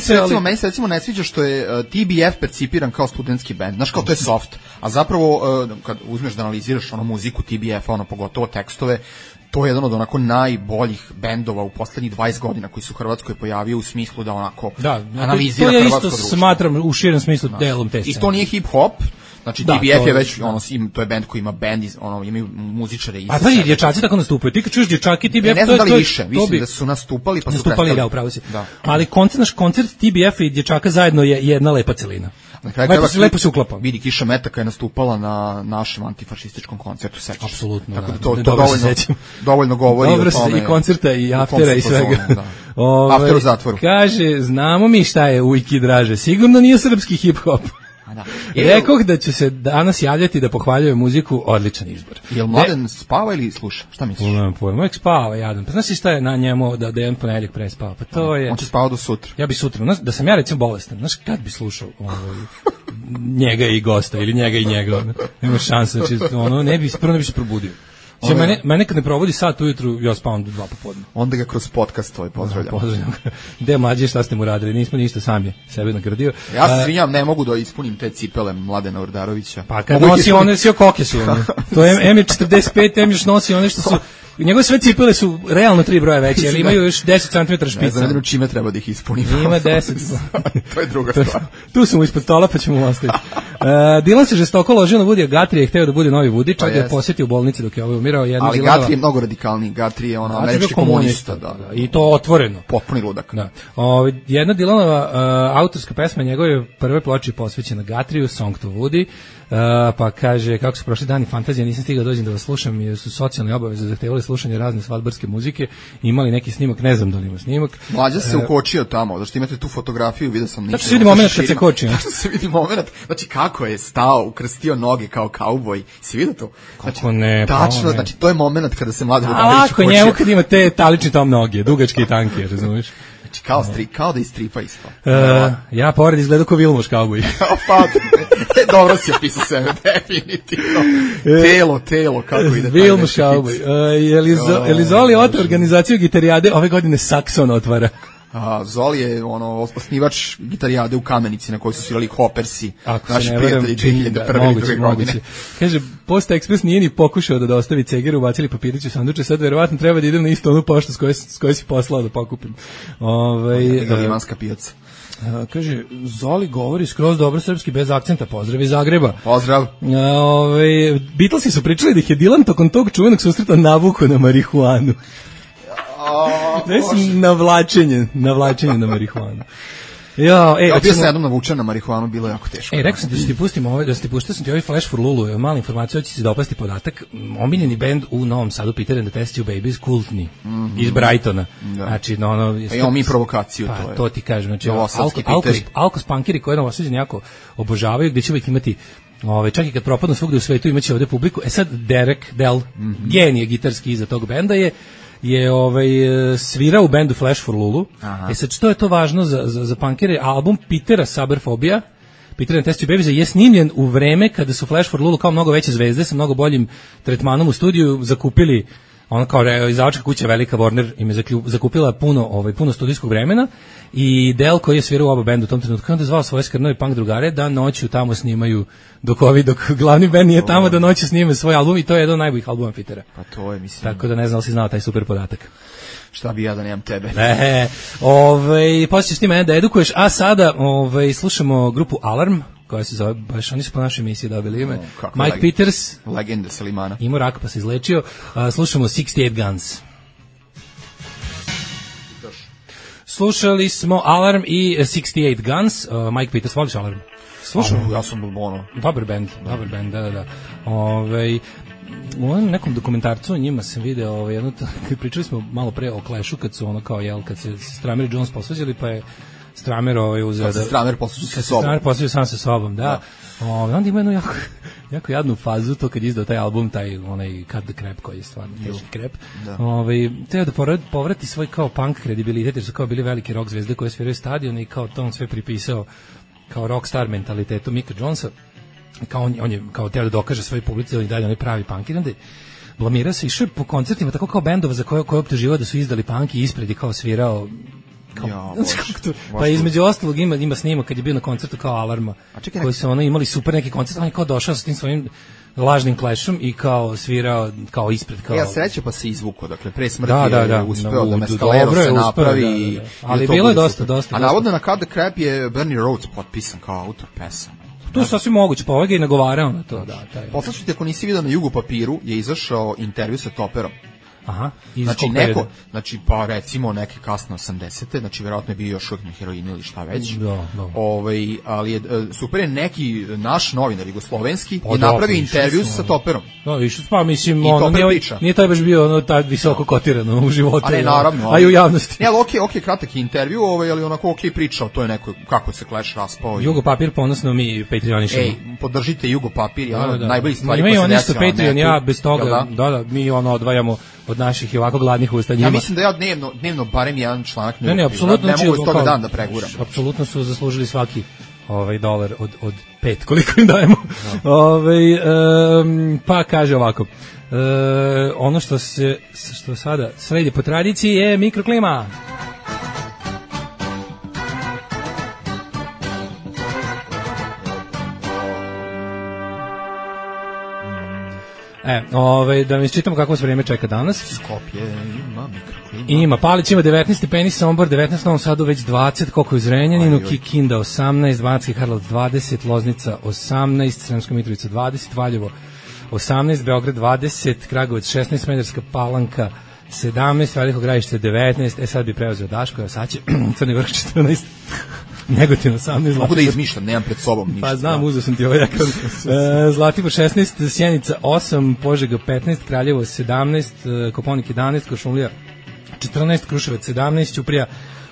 meni se recimo ne sviđa što je TBF percipiran kao studentski band, znaš, kao to je soft, a zapravo kad uzmeš da analiziraš muziku TBF-a, pogotovo tekstove, to je jedan od onako najboljih bendova u poslednjih 20 godina koji su u Hrvatskoj pojavio u smislu da onako analizira hrvatsko društvo. To ja isto smatram u širem smislu delom te scene. I to nije hip-hop, Znači Da, TBF to je već to je bend koji ima bend, imaju muzičare i. A pa i dječaci tako nastupaju. Ti kad čuješ dječaki TBF, ne znam da li više, to mislim da su nastupali pa su nastupali, da, upravo si. Ali koncert TBF i dječaka zajedno je jedna lepa celina. Lepo se uklapa. Vidi, Kiša Metaka je nastupala na našem antifašističkom koncertu, sećaš. Apsolutno. Tako da to dovoljno govori dobro o tome. I koncerta i aftera i svega. After u zatvoru. Kaže, znamo mi šta je Ujki draže. Sigurno nije srpski hip-hop. Da. Rekoh da ću se danas javljati da pohvaljuje muziku, odličan izbor. Jel Mladen spava ili sluša? Šta misliš? Nemam pojma, uvijek spava jadan. Pa znaš li šta je na njemu da jedan ponedjeljak prespava? Pa to je... On će spavati do sutra. Ja bi sutra, znaš, da sam ja recimo bolestan, znaš kad bi slušao njega i gosta ili njega i njega, nema šanse, znači ne bi se probudio. Mene kad ne provodi sat ujutru, ja spavam do 2 popodne. Onda ga kroz podcast pozdravljamo. Gde mlađe, šta ste mu radili? Nismo ništa, sam je sebe nagradio. Ja se svinjam, ne mogu da ispunim te cipele Mladena Ordarovića. Pa kad nosi one, sve koke su one. To je M45, M još nosi one što su... Njegove sve cipele su realno 3 broja veće, ali imaju još 10 cm špica. Ne znam čime treba da ih ispunim. Ima 10. To je druga stvar. Tu su mu ispod stola, pa ćemo ostaviti. Dylan se žestoko ložio na Woodya, Guthrie je hteo da bude novi Woody, čak je posjetio u bolnici dok je ovaj umirao. Ali Guthrie je mnogo radikalniji, Guthrie je američki komunista. I to otvoreno. Potpuni ludak. Da. Jedna Dylanova autorska pesma njegove prve ploče posvećena Guthrieju, Song to Woody, pa kaže, kako su prošli dani fantazija, nisam stigao dođem da vas slušam jer su socijalne obaveze zahtevali slušanje razne svadbarske muzike, imali neki snimak, ne znam da li ima snimak. Mlađa se ukočio tamo, zašto imate tu fotografiju, vidio sam. Tačno se vidi moment kad se koči. Tačno se vidi moment, znači kako je stao, ukrstio noge kao kauboj, si vidio to? Znači, kako ne, tačno, znači to je moment kada se Mladen Ordarović ukočio. A lako njemu kad ima te talični tom noge, dugačke i tanke, razumiješ? Znači, kao da istripa isto. Ja pored izgledao kao Vilmoš kauboj. Pa, dobro si opisao sebe, definitivno. Telo, kako ide. Vilmoš kauboj. Elizoli od organizaciju gitarijade ove godine Saxon otvara. Zoli je osnivač gitarijade u Kamenici na kojoj su svirali Hoppersi, naši prijatelji 2001. godine. Kaže, Posta Express nije ni pokušao da dostavi cegeru, ubacili papirić u sanduče, sad verovatno treba da idem na istu onu poštu s kojoj si poslao da pokupim. Limanska pijaca. Kaže, Zoli govori skroz dobro srpski bez akcenta, pozdrav iz Zagreba. Pozdrav. Beatlesi su pričali da ih je Dylan tokom tog čuvenog susreta navuko na marihuanu. Navlačenje na marihuanu. Bio sam jednom navučen na marihuanu, bilo je jako teško. Rekao sam da ti pustimo da ti puštao sam ti ovaj Flash for Lulu, mala informacija, hoće se dopasti podatak. Omiljeni bend u Novom Sadu, Peter and the Test Tube Babies, kultni, iz Brightona. Znači, imamo mi provokaciju, pa, to ti kažem, znači, alkos punkiri koje Novosađani jako obožavaju, gde će uvijek imati čak i kad propadnu svugde u svetu imaće ovde publiku. Sad Derek Dell, genije gitarski iza tog benda je svirao u bendu Flash for Lulu. Sad što je to važno za punkere? Album Petera Saberphobia, Peter and Test Tube Babies, je snimljen u vreme kada su Flash for Lulu kao mnogo veće zvezde sa mnogo boljim tretmanom u studiju zakupili, ono kao izdavačka kuća velika Warner im je zakupila puno studijskog vremena i Del koji je svirao u oba bendu u tom trenutku, onda je zvao svoje skrnove punk drugare da noću tamo snimaju dok glavni bend nije tamo, da noću snime svoj album i to je jedan od najboljih albuma Petera. Pa to je, mislim. Tako da ne znam da si znao taj super podatak. Šta bi ja da nemam tebe? Poslije ćeš ti mene da edukuješ, a sada slušamo grupu Alarm, koja se zove, baš oni su po našoj emisiji dobili ime, Mike Peters, legenda Selimana, imao rak pa se izlečio. Slušamo 68 Guns. Slušali smo Alarm i 68 Guns. Mike Peters, voliš Alarm? Slušam, ja sam dobar band, da. U nekom dokumentarcu o njima sam video pričali smo malo pre o Clashu kad su kad se Stramer i Jones posvađali, pa je Stramer uzeo da Stramer posvađao sam sa sobom, da. Onda ima jednu jako jadnu fazu, to kad izdao taj album, onaj Cut the Crap, koji je stvarno teški krep. Teo da povrati svoj kao punk kredibilitet, jer su kao bili velike rock zvezde koje sviraju stadion i kao to on sve pripisao kao rockstar mentalitetu Micka Jonesa. Kao on je kao teo da dokaže svoj publici da i dalje onaj pravi punk, i onda blamirao se, išao po koncertima tako kao bendova za koje optuživao da su izdali punk i ispred je kao svirao pa između ostalog ima snimak kad je bio na koncertu kao Alarma, koji su imali super neki koncert, on je kao došao sa tim svojim lažnim Clashom i kao svirao kao ispred kao. Ja sreće pa se izvuko, dakle pre smrti je uspeo da Mescalero se napravi, ali bilo je dosta. A navodno na Cut the Crap je Bernie Rhodes potpisan kao autor pesama. To je sasvim moguće, pa ovaj ga i nagovarao na to, da. Poslaću ti, ako nisi vidio na Jugo papiru, je izašao intervju sa Toperom. Aha, znači pa recimo neke kasno 80-te, znači verovatno je bio još uvijek na heroinu ili šta već. Da. Ali je super je neki naš novinar jugoslovenski je napravio intervju sa Toperom. Da, išao pa mislim nije taj baš bio taj visoko kotirano u životu. A ne, naravno. A i u javnosti. Ne, ali okej, kratak intervju, ali onako okej pričao, to je neko kako se Clash raspao. Jugo papir ponosno mi Patreonišemo. Podržite Jugo papir, najbolji stvari koje se desilo. Imaju Patreon, ja bez toga, da, mi odvajamo od naših i ovako gladnih usta njima. Ja mislim da ja dnevno barem jedan članak ne apsolutno ne mogu iz toga dan da preguram. Apsolutno su zaslužili svaki dolar od 5 koliko im dajemo. Pa kaže ovako. Ono što sada sledi po tradiciji je mikroklima. Da mi isčitamo kako se vrijeme čeka danas. Skopje ima mikroklima. Ima, Palić ima 19 stepeni, Sombor 19, Novom Sadu već 20, koliko je u Zrenjaninu, Kikinda 18, Banatski Karlovac 20, Loznica 18, Sremska Mitrovica 20, Valjevo 18, Beograd 20, Kragujevac 16, Smederska Palanka 17, Veliko Gradište 19, sad bi preuzeo Daško, sad će Crni Vrh 14, Negotin 18. Mogu da izmišljam, nemam pred sobom ništa. Pa znam, uzeo sam ti ovaj jakar. Zlatibor 16, Sjenica 8, Požega 15, Kraljevo 17, Koponik 11, Košumlija 14, Kruševac 17, Ćuprija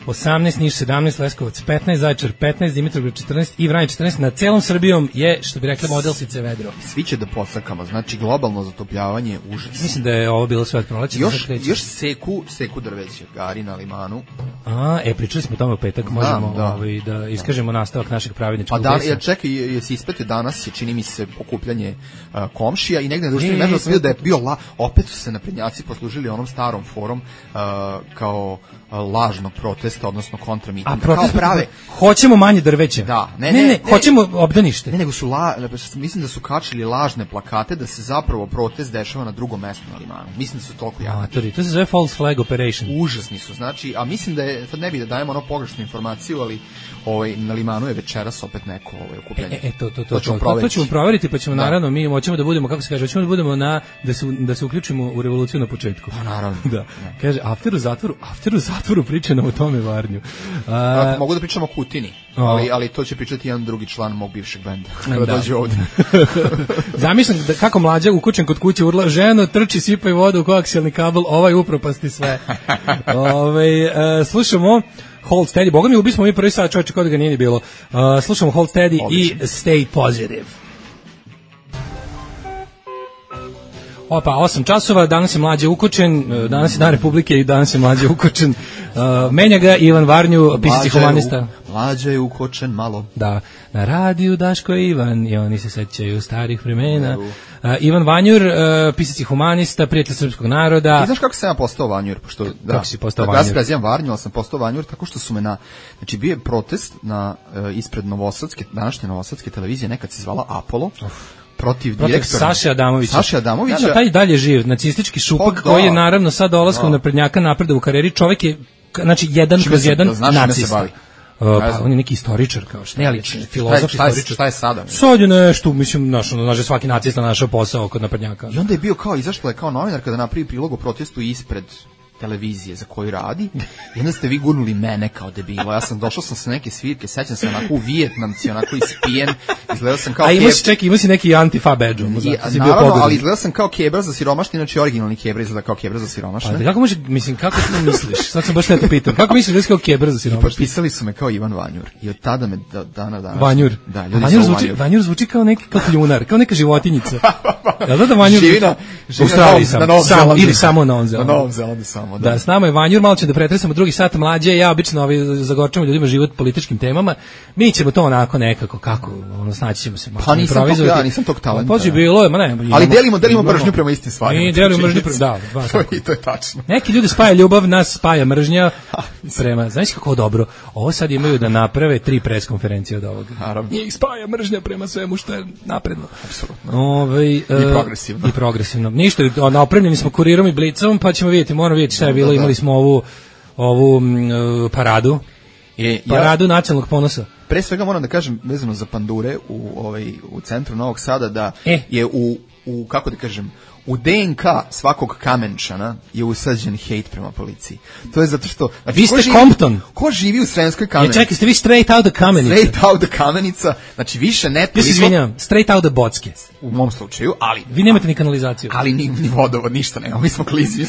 18, Niš 17, Leskovac 15, Zaječar 15, Dimitrovgrad 14 i Vranje 14. Na celom Srbijom je, što bi rekla, modelsice vedro. Svi će da posakamo, znači globalno zatopljavanje je užas. Mislim da je ovo bilo sve od proleća. Još seku drveće, gari na limanu. Pričali smo o tome u petak, možemo da iskažemo nastavak našeg pravidničkog plesa. Čekaj, jesi ispratio danas, je čini mi se okupljanje komšija i negde na društvenim mrežama sam vidio da je bio opet su se naprednjaci poslužili onom starom forum kao lažnog protesta, odnosno kontramitinga. Protest prave. Hoćemo manje drveća. Da. Ne, hoćemo obdanište. Ne, nego su mislim da su kačili lažne plakate da se zapravo protest dešava na drugom mestu na limanu. Mislim da su toliko jaki. To se zove false flag operation. Užasni su, znači, a mislim da je, sad ne bi da dajemo pogrešnu informaciju, ali na limanu je večeras opet neko okupljanje. To ćemo proveriti, pa ćemo naravno, mi hoćemo da budemo, kako se kaže, hoćemo da budemo da se uključimo u revoluciju na početku. Pa naravno. Da. Kaže, after u zatvoru priča nam o tome Varnju. Mogu da pričamo o Kutini, ali to će pričati jedan drugi član mog bivšeg benda kada dođe ovdje. Zamišljam kako mlađa ukućen kod kuće urla, ženo, trči, sipaj vodu u koaksijalni kabel, upropasti sve. Slušamo Hold Steady, boga mi ubismo mi prvi sat, čovječe, kao da ga nije ni bilo. Slušamo Hold Steady i Stay Positive. 8 časova, danas je mlađe ukočen, danas je Dan Republike i danas je mlađe ukočen. Menja ga Ivan Varnju, pisac i humanista. Mlađe je ukočen malo. Da, na radiju Daško i Ivan i oni se sećaju starih vremena. Ivan Vanjur, pisac i humanista, prijatelj srpskog naroda. Ti znaš kako sam ja postao Vanjur? Kako si postao Vanjur? Ja se prezivam Varnju, ali sam postao Vanjur tako što su me znači bio je protest ispred današnje novosadske televizije, nekad se zvala Apollo. Protiv direktora Saše Adamovića. Da, taj dalje živ, nacistički šupak koji je naravno sad dolaskom naprednjaka napredo u karijeri, čovjek je, znači, 1/1 nacista. Pa on je neki istoričar kao što. Ne, ali filozof, istoričar. Šta je sada? Sad je nešto, mislim, svaki nacista našao posao kod naprednjaka. I onda je bio izašla je kao novinar kada napravi prilog o protestu ispred televizije za koju radi i onda ste vi gurnuli mene kao debilo. Došao sam sa neke svirke, sećam se onako u Vijetnamci, onako ispijen, izgledao sam kao ima si neki antifa badge. Naravno, ali izgledao sam kao Kebra za siromašni, znači originalni Kebra izgleda kao Kebra za siromašne. Kako to misliš? Sad sam baš te pitam. Kako misliš da si kao Kebra za siromašne? Potpisali su me kao Ivan Vanjur i od tada me dana danas. Vanjur. Da, ljudi Vanjur zvuči kao neki kljunar, kao neka životinjica. Ja da Vanjur živi na ili samo na Novom Zelandu samo. Da, s nama je Vanjur, malo će da pretresamo drugi sat mlađe, ja obično zagorčamo ljudima život političkim temama, mi ćemo to onako nekako, snaći ćemo se. Pa nisam tog talenta. Pođi bilo je, ali delimo mržnju prema istim stvarima. Mi delimo mržnju prema, to je tačno. Neki ljudi spaja ljubav, nas spaja mržnja prema, znaš kako dobro, ovo sad imaju da naprave 3 pres konferencije od ovoga. Njih spaja mržnja prema svemu što je napredno. Apsolutno. I progresivno. Ništa, opremljeni smo kurirom i blicom, pa ćemo vidjeti šta je bilo. Imali smo ovu paradu nacionalnog ponosa. pre svega moram da kažem vezano za pandure u centru Novog Sada da je u kako da kažem u DNK svakog Kamenčana je usađen hejt prema policiji. To je zato što... Znači, vi ste Compton. Ko živi u Sremskoj Kamenici? Čekaj, ste vi straight out of Kamenica. Straight out of Kamenica. Znači, više ne toliko... Ja se izvinjam, straight out of Bocke. U mom slučaju, ali... Vi nemate ni kanalizaciju. Ali ni vodovod, ništa nema. Mi smo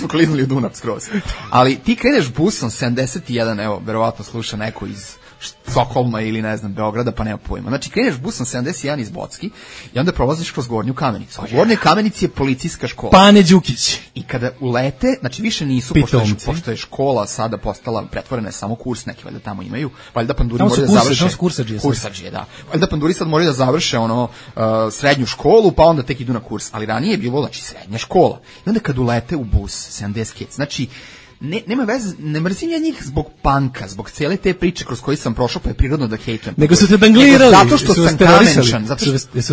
kliznuli u Dunav skroz. Ali ti kreneš busom 71, evo, verovatno sluša neko iz Stokholma ili ne znam Beograda, pa nema pojma. Znači kreneš busom 71 iz Bocki i onda prolaziš kroz Gornju Kamenicu. U Gornjoj Kamenici je policijska škola. Pane Đukić. I kada ulete, znači više nisu, pošto je škola sada postala pretvorena je samo kurs, neki valjda tamo imaju, valjda panduri moraju da završe. Tamo su kursadžije, da. Valjda panduri sad moraju da završe srednju školu, pa onda tek idu na kurs. Ali ranije je bilo, znači, srednja škola. I onda kad ulete u bus 70 kids, znači nema veze, ne mrzim ja njih zbog panka, zbog cijele te priče kroz koje sam prošao, pa je prirodno da hejtujem. Nego su te danglirali. Zato što sam Kamenčan, zato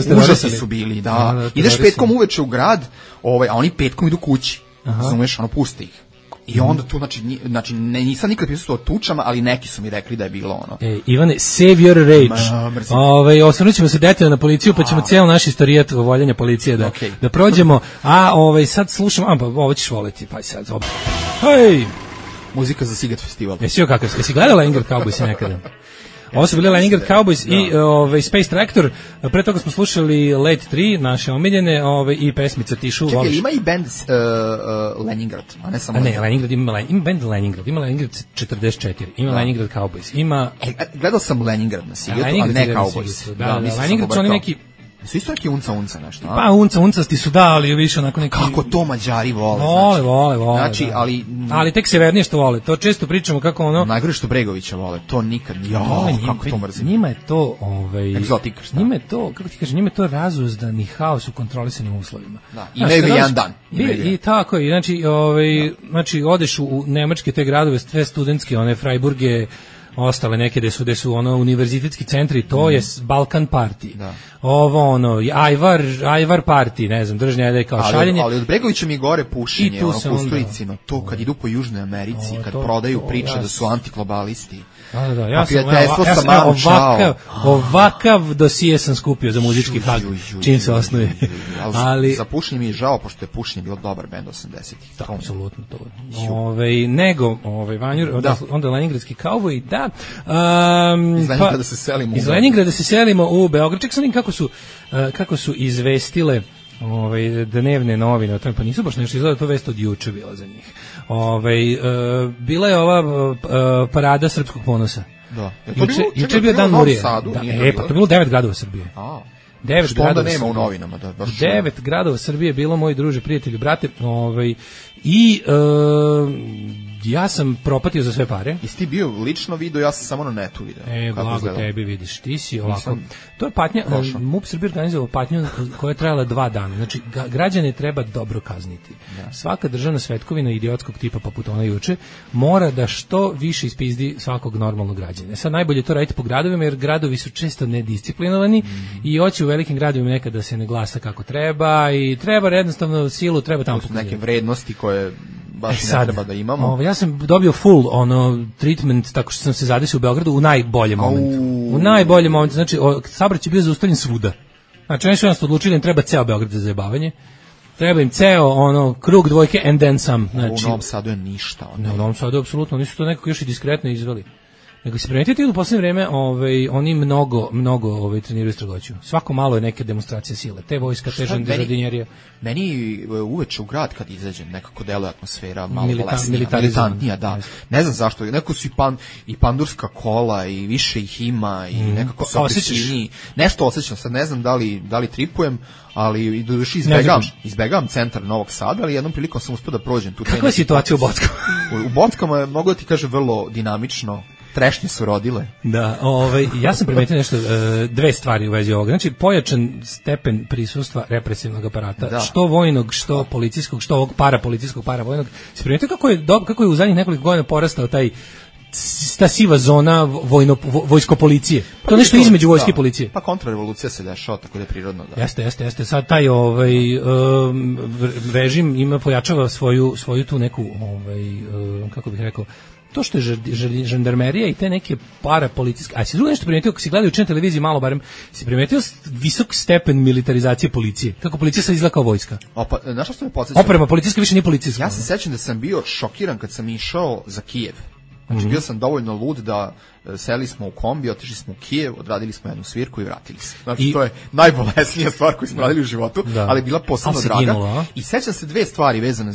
što užasni su bili, da. Ideš petkom uveče u grad, a oni petkom idu kući. Razumeš, puste ih. I onda tu, znači nisam nikad pisao o tučama, ali neki su mi rekli da je bilo ono. Ivane, save your rage. Osvrnut ćemo se detaljno na policiju, pa ćemo cijel naš istorijat voljanja policije da prođemo. A sad slušamo, pa ovo ćeš voliti, pa sad opet. Hej! Muzika za Siget festival. Jesi gledala Leningrad Cowboys nekada? Ovo su bili Leningrad Cowboys i Space Tractor. Pre toga smo slušali Late 3, naše omiljene, i pesmica Tišu. Čekaj, ima i band Leningrad, a ne samo... Ne, Leningrad ima band Leningrad, ima Leningrad 44, ima Leningrad Cowboys, ima... Gledao sam Leningrad na Sigetu, ali ne Cowboys. Da, Leningrad su oni neki... Su isto neki unca nešto, a? Pa uncasti su ali više onako neki... Kako to Mađari vole, znači. Vole. Znači, ali tek severnije što vole, to često pričamo kako ono... Najgore što Bregovića vole, to nikad, kako to mrzim. Njima je to, egzotika, šta? Njima je to, kako ti kažeš, njima je to razuzdani haos u kontrolisanim uslovima. Da, imaju jedan dan. I tako je, znači, odeš u nemačke te gradove, sve studentske, one Freiburge, ostale neke gde su univerzitetski centri, to je Balkan party. Da. Ovo Ajvar party, ne znam, držnja je kao šaljenje. Ali od Bregovića mi gore pušenje, Kusturicino, to kad idu po Južnoj Americi, kad prodaju priče da su antiglobalisti. Da, ja sam ovakav dosije sam skupio za muzički hag, čim se osnuje. Ali za pušenje mi je žao, pošto je pušenje bilo dobar bend 80-ih. Da, apsolutno to. Nego, Vanjur, onda Leningradski Cowboy, da. Iz Leningrada se selimo. Iz Leningrada se selimo u Beograd. Ček sam vidim kako su izvestile dnevne novine o tome, pa nisu baš nešto izgleda, to vest od juče bila za njih. Bila je ova parada srpskog ponosa. Da. Juče je bio dan Murije. Pa to je bilo 9 gradova Srbije. 9 što onda nema u novinama? 9 gradova Srbije bilo, moji druže, prijatelji, brate. Ja sam propatio za sve pare. Jesi ti bio lično video, ja sam samo na netu video. Blago tebi, vidiš, ti si ovako. To je patnja, MUP Srbije organizovao patnju koja je trajala 2 dana. Znači, građane treba dobro kazniti. Da. Svaka državna svetkovina idiotskog tipa, poput ona juče, mora da što više ispizdi svakog normalnog građana. Sad najbolje to raditi po gradovima, jer gradovi su često nedisciplinovani i hoće u velikim gradovima nekad da se ne glasa kako treba i treba jednostavno silu, treba tamo neke vrednosti koje baš ne treba da imamo. Ja sam dobio full treatment tako što sam se zadesio u Beogradu u najboljem momentu. U najboljem momentu, znači saobraćaj je bio zaustavljen svuda. Znači oni su nas odlučili da im treba ceo Beograd za zajebavanje. Treba im ceo krug dvojke and then some. Znači, u Novom Sadu je ništa. Ne, u Novom Sadu apsolutno, oni su to nekako još i diskretno izveli. Nego se primetite u poslednje vreme, oni mnogo treniraju strogoću. Svako malo je neke demonstracije sile. Te vojska, te žandarmerija. Meni uveče u grad kad izađem nekako deluje atmosfera malo militantnija, da. Ne znam zašto, neko su i pandurska kola i više ih ima i nekako su agresivniji. Nešto osjećam, sad ne znam da li tripujem, ali izbegavam centar Novog Sada, ali jednom prilikom sam uspio da prođem tu. Kakva je situacija u Bockama? U Bockama je, mogu da ti kažem, vrlo dinamično. Trešnje su rodile. Da, ja sam primetio nešto, dve stvari u vezi ovoga. Znači, pojačan stepen prisustva represivnog aparata, što vojnog, što policijskog, što ovog parapolicijskog, paravojnog. Se primetio kako je u zadnjih nekoliko godina porastao taj ta siva zona vojsko policije. To je nešto između vojske i policije. Pa kontrarevolucija se dešava, tako da je prirodno. Da. Jeste. Sad taj režim ima pojačava svoju tu neku kako bih rekao, to što je žandarmerija i te neke parapolicijske, a si drugo nešto primetio, ako si gledao juče na televiziji malo barem, si primetio visok stepen militarizacije policije, kako policija sad izgleda kao vojska. Pa, znaš što me podsjeća? Oprema policijska više nije policijska. Ja se sećam da sam bio šokiran kad sam išao za Kijev. Znači, bio sam dovoljno lud da seli smo u kombi, otišli smo u Kijev, odradili smo jednu svirku i vratili se. Znači, to je najbolesnija stvar koju smo radili u životu, ali bila posebno draga. Ginulo, i sećam se dve stvari vezane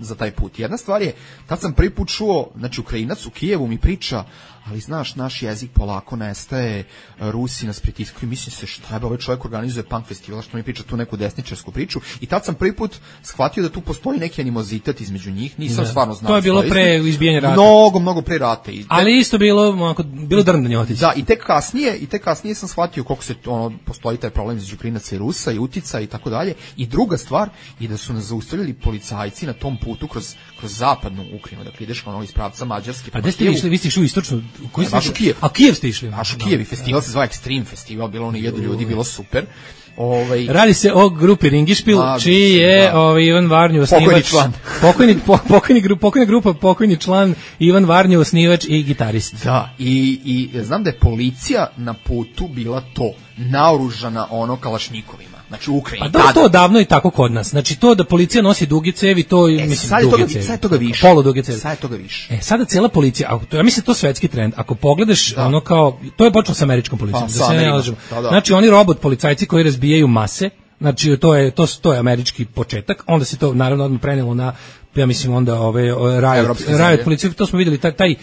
za taj put. Jedna stvar je, tad sam prvi put čuo, znači, Ukrajinac u Kijevu mi priča, ali znaš, naš jezik polako nestaje, Rusi nas pritiskuju, mislim se šta je, ovaj čovjek organizuje punk festival, što mi priča tu neku desničarsku priču, i tad sam prvi put shvatio da tu postoji neki animozitet između njih, nisam stvarno znao. To je bilo pre izbijanja rata. Mnogo pre rata. Ali isto bilo drndanje otići. Da, i tek kasnije sam shvatio koliko se postoji taj problem između Ukrajinaca i Rusa i utica i tako dalje. I druga stvar je da su nas zaustavljali policajci na tom putu kroz zapadnu Ukrajinu, dakle ideš iz pravca Mađarske. A gde ste išli? Vi ste išli u istočnu? Našu Kijev. A Kijev ste išli? Našu Kijev i festival se zvao Extreme Festival, bilo ono 1000 ljudi, bilo super. Radi se o grupi Ringišpil, čiji je Ivan Varnju osnivač. Pokojna grupa, pokojni član Ivan Varnju osnivač i gitarist. Da, i znam da je policija na putu bila naoružana kalašnikovima. Znači u Ukrajini. Pa to davno je tako kod nas. Znači to da policija nosi duge cevi, to mislim duge cevi. Sad je toga više. Poluduge cevi. Sad je toga više. Sada cela policija, ja mislim to je svetski trend. Ako pogledaš kao, to je počelo sa američkom policijom, da se ne lažemo. Znači oni robot policajci koji razbijaju mase, znači to je američki početak, onda se to naravno odmah prenelo na, ja mislim onda riot policija, to smo videli taj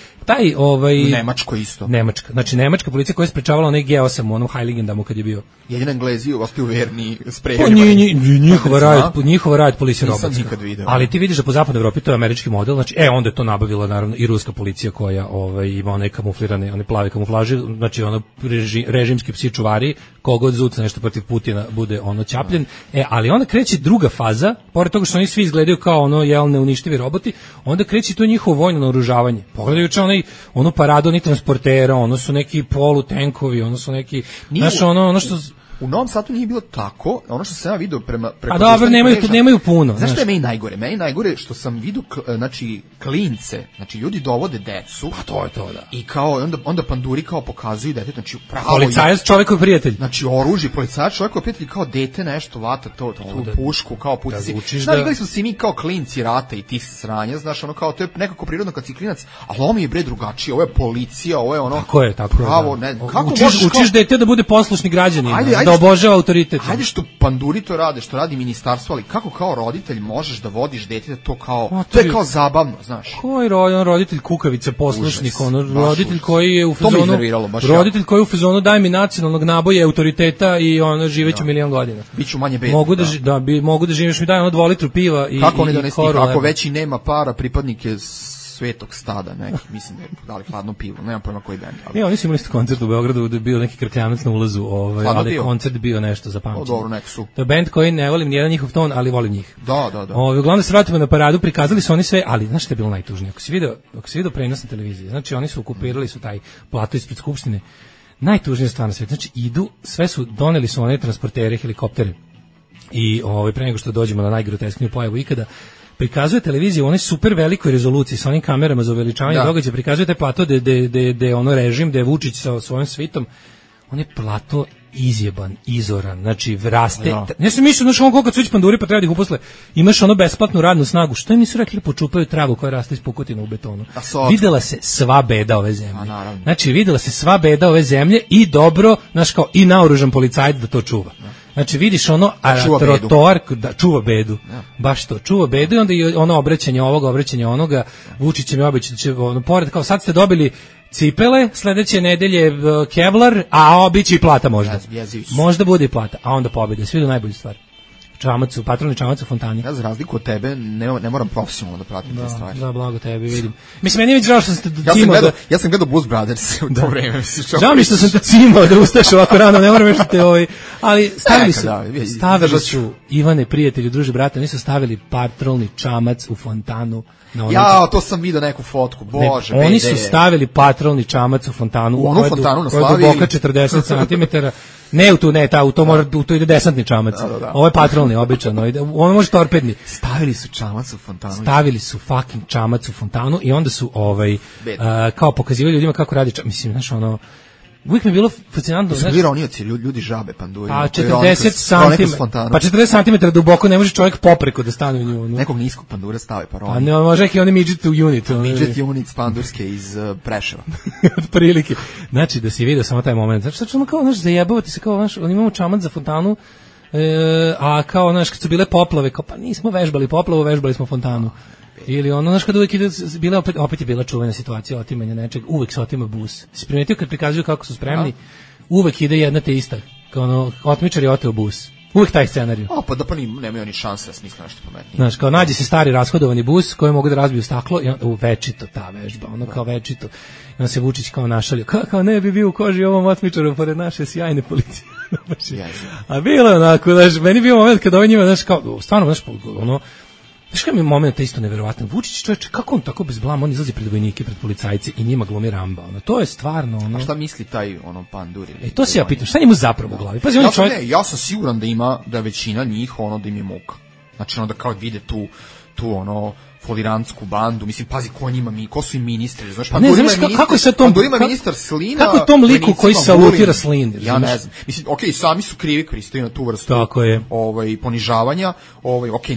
Nemačko isto. Znači nemačka policija koja je sprečavala onaj G8 u onom Heiligendamu kad je bio. Jedini Englezi ostaju verni sprejevima. Njihova riot policija robotska. Nisam nikad video. Ali ti vidiš da po zapadnoj Evropi to je američki model, znači onda je to nabavila naravno i ruska policija koja ima one kamuflirane, one plave kamuflaže, znači režimski psi čuvari, kogod zuca nešto protiv Putina bude ćapljen. Ali onda kreće druga faza, pored toga što oni svi izgledaju kao neuništivi roboti, onda kreće to njihovo vojno naoružavanje. Pogledajući onu paradu onih transportera, ono su neki polutenkovi, ono su neki, ono što... U Novom Sadu nije bilo tako, ono što sam ja vidio preko... A dobro, nemaju puno. Znaš što je meni najgore? Meni najgore što sam vidio, znači, klince, znači ljudi dovode decu. Pa to je to, da. I kao, onda panduri kao pokazuju dete, znači pravo... Policajac čovjekov prijatelj. Znači oružje, policajac čovjekov prijatelj, kao dete nešto vata, tu pušku, kao puci. Znaš, gledali smo si mi kao klinci rata i tih sranja, znaš, kao, to je nekako prirodno kad si klinac, ali ovo mi je bre drugačije, ovo je policija, ovo je Tako pravo, je. Učiš dete da bude poslušni građanin. Da obožava autoritet. Hajde što panduri to rade, što radi ministarstvo, ali kako kao roditelj možeš da vodiš dete to kao, to je kao zabavno, znaš. Koji roditelj kukavica, poslušnik, roditelj koji je u fazonu, daj mi nacionalnog naboja, autoriteta i živeću milion godina. Biću manje bedno. Mogu da živiš mi, daj 2 litru piva i kako oni donesti, kako već i nema para, pripadnike Svetog stada, neki, mislim da je dali hladno pivo, nemam pojma koji bend. Oni su imali koncert u Beogradu da je bio neki krkljanac na ulazu, ali koncert bio nešto za pamćenje. Dobro, nek su. To je bend koji ne volim nijedan njihov ton, ali volim njih. Da. Uglavnom se vratimo na paradu, prikazali su oni sve, ali znaš što je bilo najtužnije? Ako si video prenos na televiziji, znači oni su okupirali su taj plato ispred Skupštine, najtužnija stvar na svijetu, znači doneli su one transportere, helikoptere i pre nego što dođemo na najgroteskniju pojavu ikada, prikazuje televiziju u onoj super velikoj rezoluciji sa onim kamerama za uveličavanje događaja, prikazuje taj plato gde je režim, gde je Vučić sa svojom svitom, on je plato izjeban, izoran, znači vraste. Ne sam mislio, koliko su već panduri pa treba da ih uposle, imaš besplatnu radnu snagu, što im nisu rekli da počupaju travu koja raste iz pukotina u betonu. Videla se sva beda ove zemlje. Znači videla se sva beda ove zemlje i dobro, i naoružan policajac da to čuva. Znači vidiš trotoar da čuva bedu. Baš to, čuva bedu i onda i obraćanje onoga, Vučić mi obeća da će pored, kao sad ste dobili cipele, sledeće nedelje Kevlar, a biće i plata možda. Možda bude i plata, a onda pobjede, svi do najbolju stvar. čamac, patrolni čamac u fontani. Ja za razliku od tebe ne moram profesionalno da pratim te stvari. Da, blago tebi, vidim. Mislim, meni je već žao što sam te Ja sam gledao Blues Brothers u to vreme. Žao mi što sam te cimao da ustaješ ovako rano, ne moram još da te ali stavili su Ivane, prijatelju, druže, brate, oni su stavili patrolni čamac u fontanu. To sam vidio neku fotku, bože. Oni su stavili patrolni čamac u fontanu. U onu fontanu na Slavi. Koja je duboka 40 cm. Ne u tu, u to ide desantni čamac. Da. Ovo je patrolni, običan. Ono može torpedni. Stavili su čamac u fontanu. Stavili su fucking čamac u fontanu i onda su kao pokazivali ljudima kako radi čamac. Mislim, znaš, uvijek mi je bilo fascinantno. Su bili ronioci, ljudi žabe, panduri. Pa 40 cm duboko ne može čovjek popreko da stane u nju. Nekog niskog pandura stave pa roni. Pa ne, može i oni midget unit. Midget unit pandurske iz Preševa. Od prilike. Znači, da si vidio samo taj moment. Znači, kao, zajebavati se, kao, imamo čamac za fontanu, a kao, kad su bile poplave, kao, pa nismo vežbali poplavu, vežbali smo fontanu. Ili kada uvijek opet je bila čuvena situacija otimanja nečeg, uvijek se otima bus. Si primetio kad prikazuju kako su spremni, uvijek ide jedna te ista, kao otmičar je oteo bus. Uvijek taj scenarij. Pa da nemaju ni šanse da smisle nešto pametnije. Znaš, kao nađe se stari rashodovani bus koji mogu da razbiju staklo i večito ta vežba, kao večito. I on se Vučić kao našalio, kao ne bi bio u koži ovom otmičaru pored naše sjajne policije. A bilo je onako, meni bio moment kada njima, kao, stvarno, znaš kada mi je moment isto neverovatno, Vučić čovječe, kako on tako bez blama, on izlazi pred vojnike, pred policajce i njima glumi Ramba, to je stvarno, A šta misli taj pandur? To se ja pitam, šta njemu zapravo u glavi? Pazi, ja sam siguran da većina njih, da im je muka. Znači, da kao vide tu folirantsku bandu, mislim, pazi, ko su im ministri, znaš, kako je sad tom, Pandurima ministar Slina, kako tom liku koji salutira Slin, ja ne znam, mislim, sami su krivi pristaju na tu vrstu ponižavanja,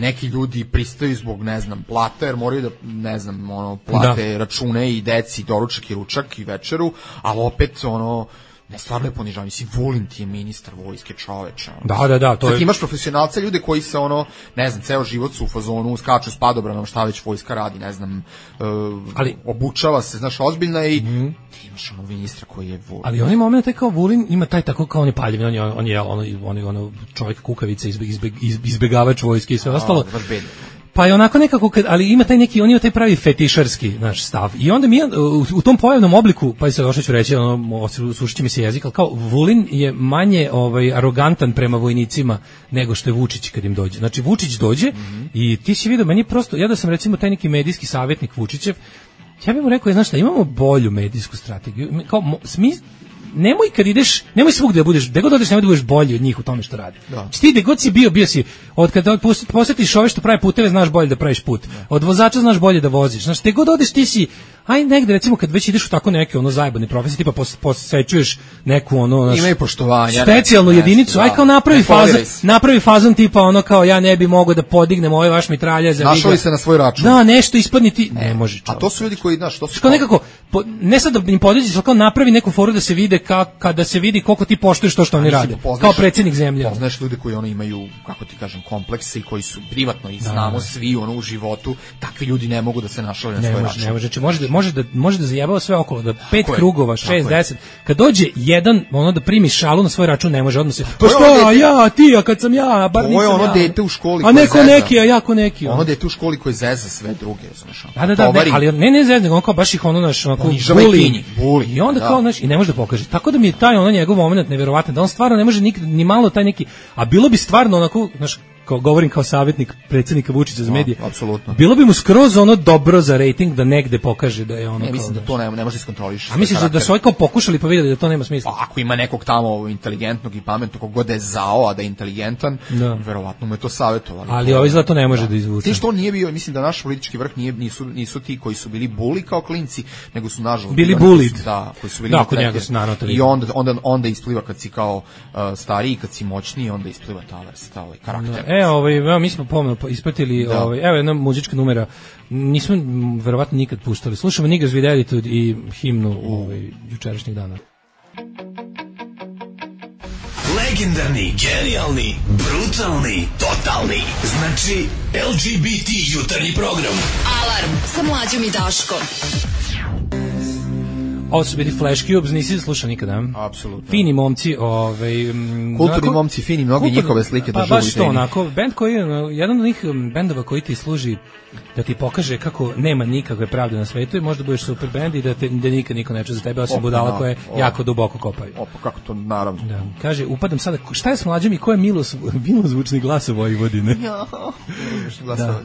neki ljudi pristaju zbog, ne znam, plata, jer moraju da, ne znam, plate račune i deci, doručak i ručak i večeru, ali opet, ne, stvarno je ponižavanje. Mislim, Vulin ti je ministar vojske, čoveče. Da. Sad imaš profesionalce, ljude koji se, ne znam, ceo život su u fazonu, skaču s padobranom, šta već vojska radi, ne znam, obučava se, znaš, ozbiljna i ti imaš ministra koji je Vulin. Ali onaj moment je kao Vulin, ima taj tako kao on je paljev, on je čovjek kukavica, izbegavač vojske i sve ostalo. Pa je onako nekako, ali ima taj neki, on ima taj pravi fetišarski naš stav. I onda mi u tom pojavnom obliku, pa sad ću reći, sušit će mi se jezik, ali kao Vulin je manje arogantan prema vojnicima nego što je Vučić kad im dođe. Znači Vučić dođe i ti si vidio, meni prosto, ja da sam recimo taj neki medijski savjetnik Vučićev, ja bih mu rekao, znaš šta, imamo bolju medijsku strategiju. Kao, nemoj kad ideš, nemoj svugde da budeš, gde god odeš nemoj da budeš bolji od njih u tome što radi. Znači ti gde god si bio si, od kada posjetiš ove što pravi puteve, znaš bolje da praviš put. Od vozača znaš bolje da voziš. Znači gde god odeš ti si, aj negde recimo kad već ideš u tako neke zajebane profesije, tipa posećuješ neku imaju poštovanja, specijalnu jedinicu, aj kao napravi fazon tipa kao ja ne bi mogao da podignem ovaj vaš mitralja za našao se na svoj račun. Da, nešto ispadni ti, ne može. A to su ljudi koji, znaš, to su kao nekako ne sad da im podiđeš, kao napravi neku foru da se vide kada se vidi koliko ti poštuješ to što oni rade. Kao predsjednik zemlje. Poznaš ljude koji imaju, kako ti kažem, komplekse i koji su privatno i znamo svi u životu, takvi ljudi ne mogu da se našale na svoj račun. Ne može, znači može da zajebava sve okolo, da 5 krugova, 6, 10. Kad dođe jedan, da primi šalu na svoj račun, ne može odmah se. Pa što, ja, ti, a kad sam ja, bar nisam ja. Ovo je dete u školi a neko neki, a jako neki. Ono dete u školi koje zeza sve druge, znaš. Ali ne zeza, on kao baš ih buli. I onda kao, znaš, i ne može da pokaže. Tako da mi je taj njegov moment neverovatan, da on stvarno ne može ni malo taj neki, a bilo bi stvarno onako, znaš, govorim kao savjetnik predsjednika Vučića za medije. Apsolutno. Bilo bi mu skroz dobro za rating da negde pokaže da je ono. Ne, mislim da to ne može iskontroliš. A misliš da su ovaj kao pokušali pa vidjeli da to nema smisla? Pa ako ima nekog tamo inteligentnog i pametnog, kogod je zao, a da je inteligentan, verovatno mu je to savjetovali. Ali ovaj izgleda to ne može da izvuče. Ti što nije bio, mislim da naš politički vrh nisu ti koji su bili buli kao klinci, nego su nažalost bili bullied. Koji su bili i onda ispliva kad si kao stariji, kad si moćniji, onda ispliva ta vrsta, karakter. Mi smo pomno ispratili, evo jedna muzička numera, nismo verovatno nikad puštali. Slušamo Niggas with Attitude i himnu jučerašnjih dana. Legendarni, genijalni, brutalni, totalni. Znači, LGBT jutarnji program. Alarm sa Mlađom i Daškom. Ovo su bili Flash Cubes, nisi slušao nikada? Apsolutno. Fini momci, kulturni momci, fini, mnogi njihove slike pa, držu. Baš to, onako, bend koji je, jedan od njih bendova koji ti služi da ti pokaže kako nema nikakve pravde na svetu i možda budeš super bend i da nikad niko neće za tebe, osim budala koje jako duboko kopaju. Opa, kako to, naravno. Da. Kaže, upadam sada, šta je s mlađom i ko je milozvučni glas u Vojvodine? Da.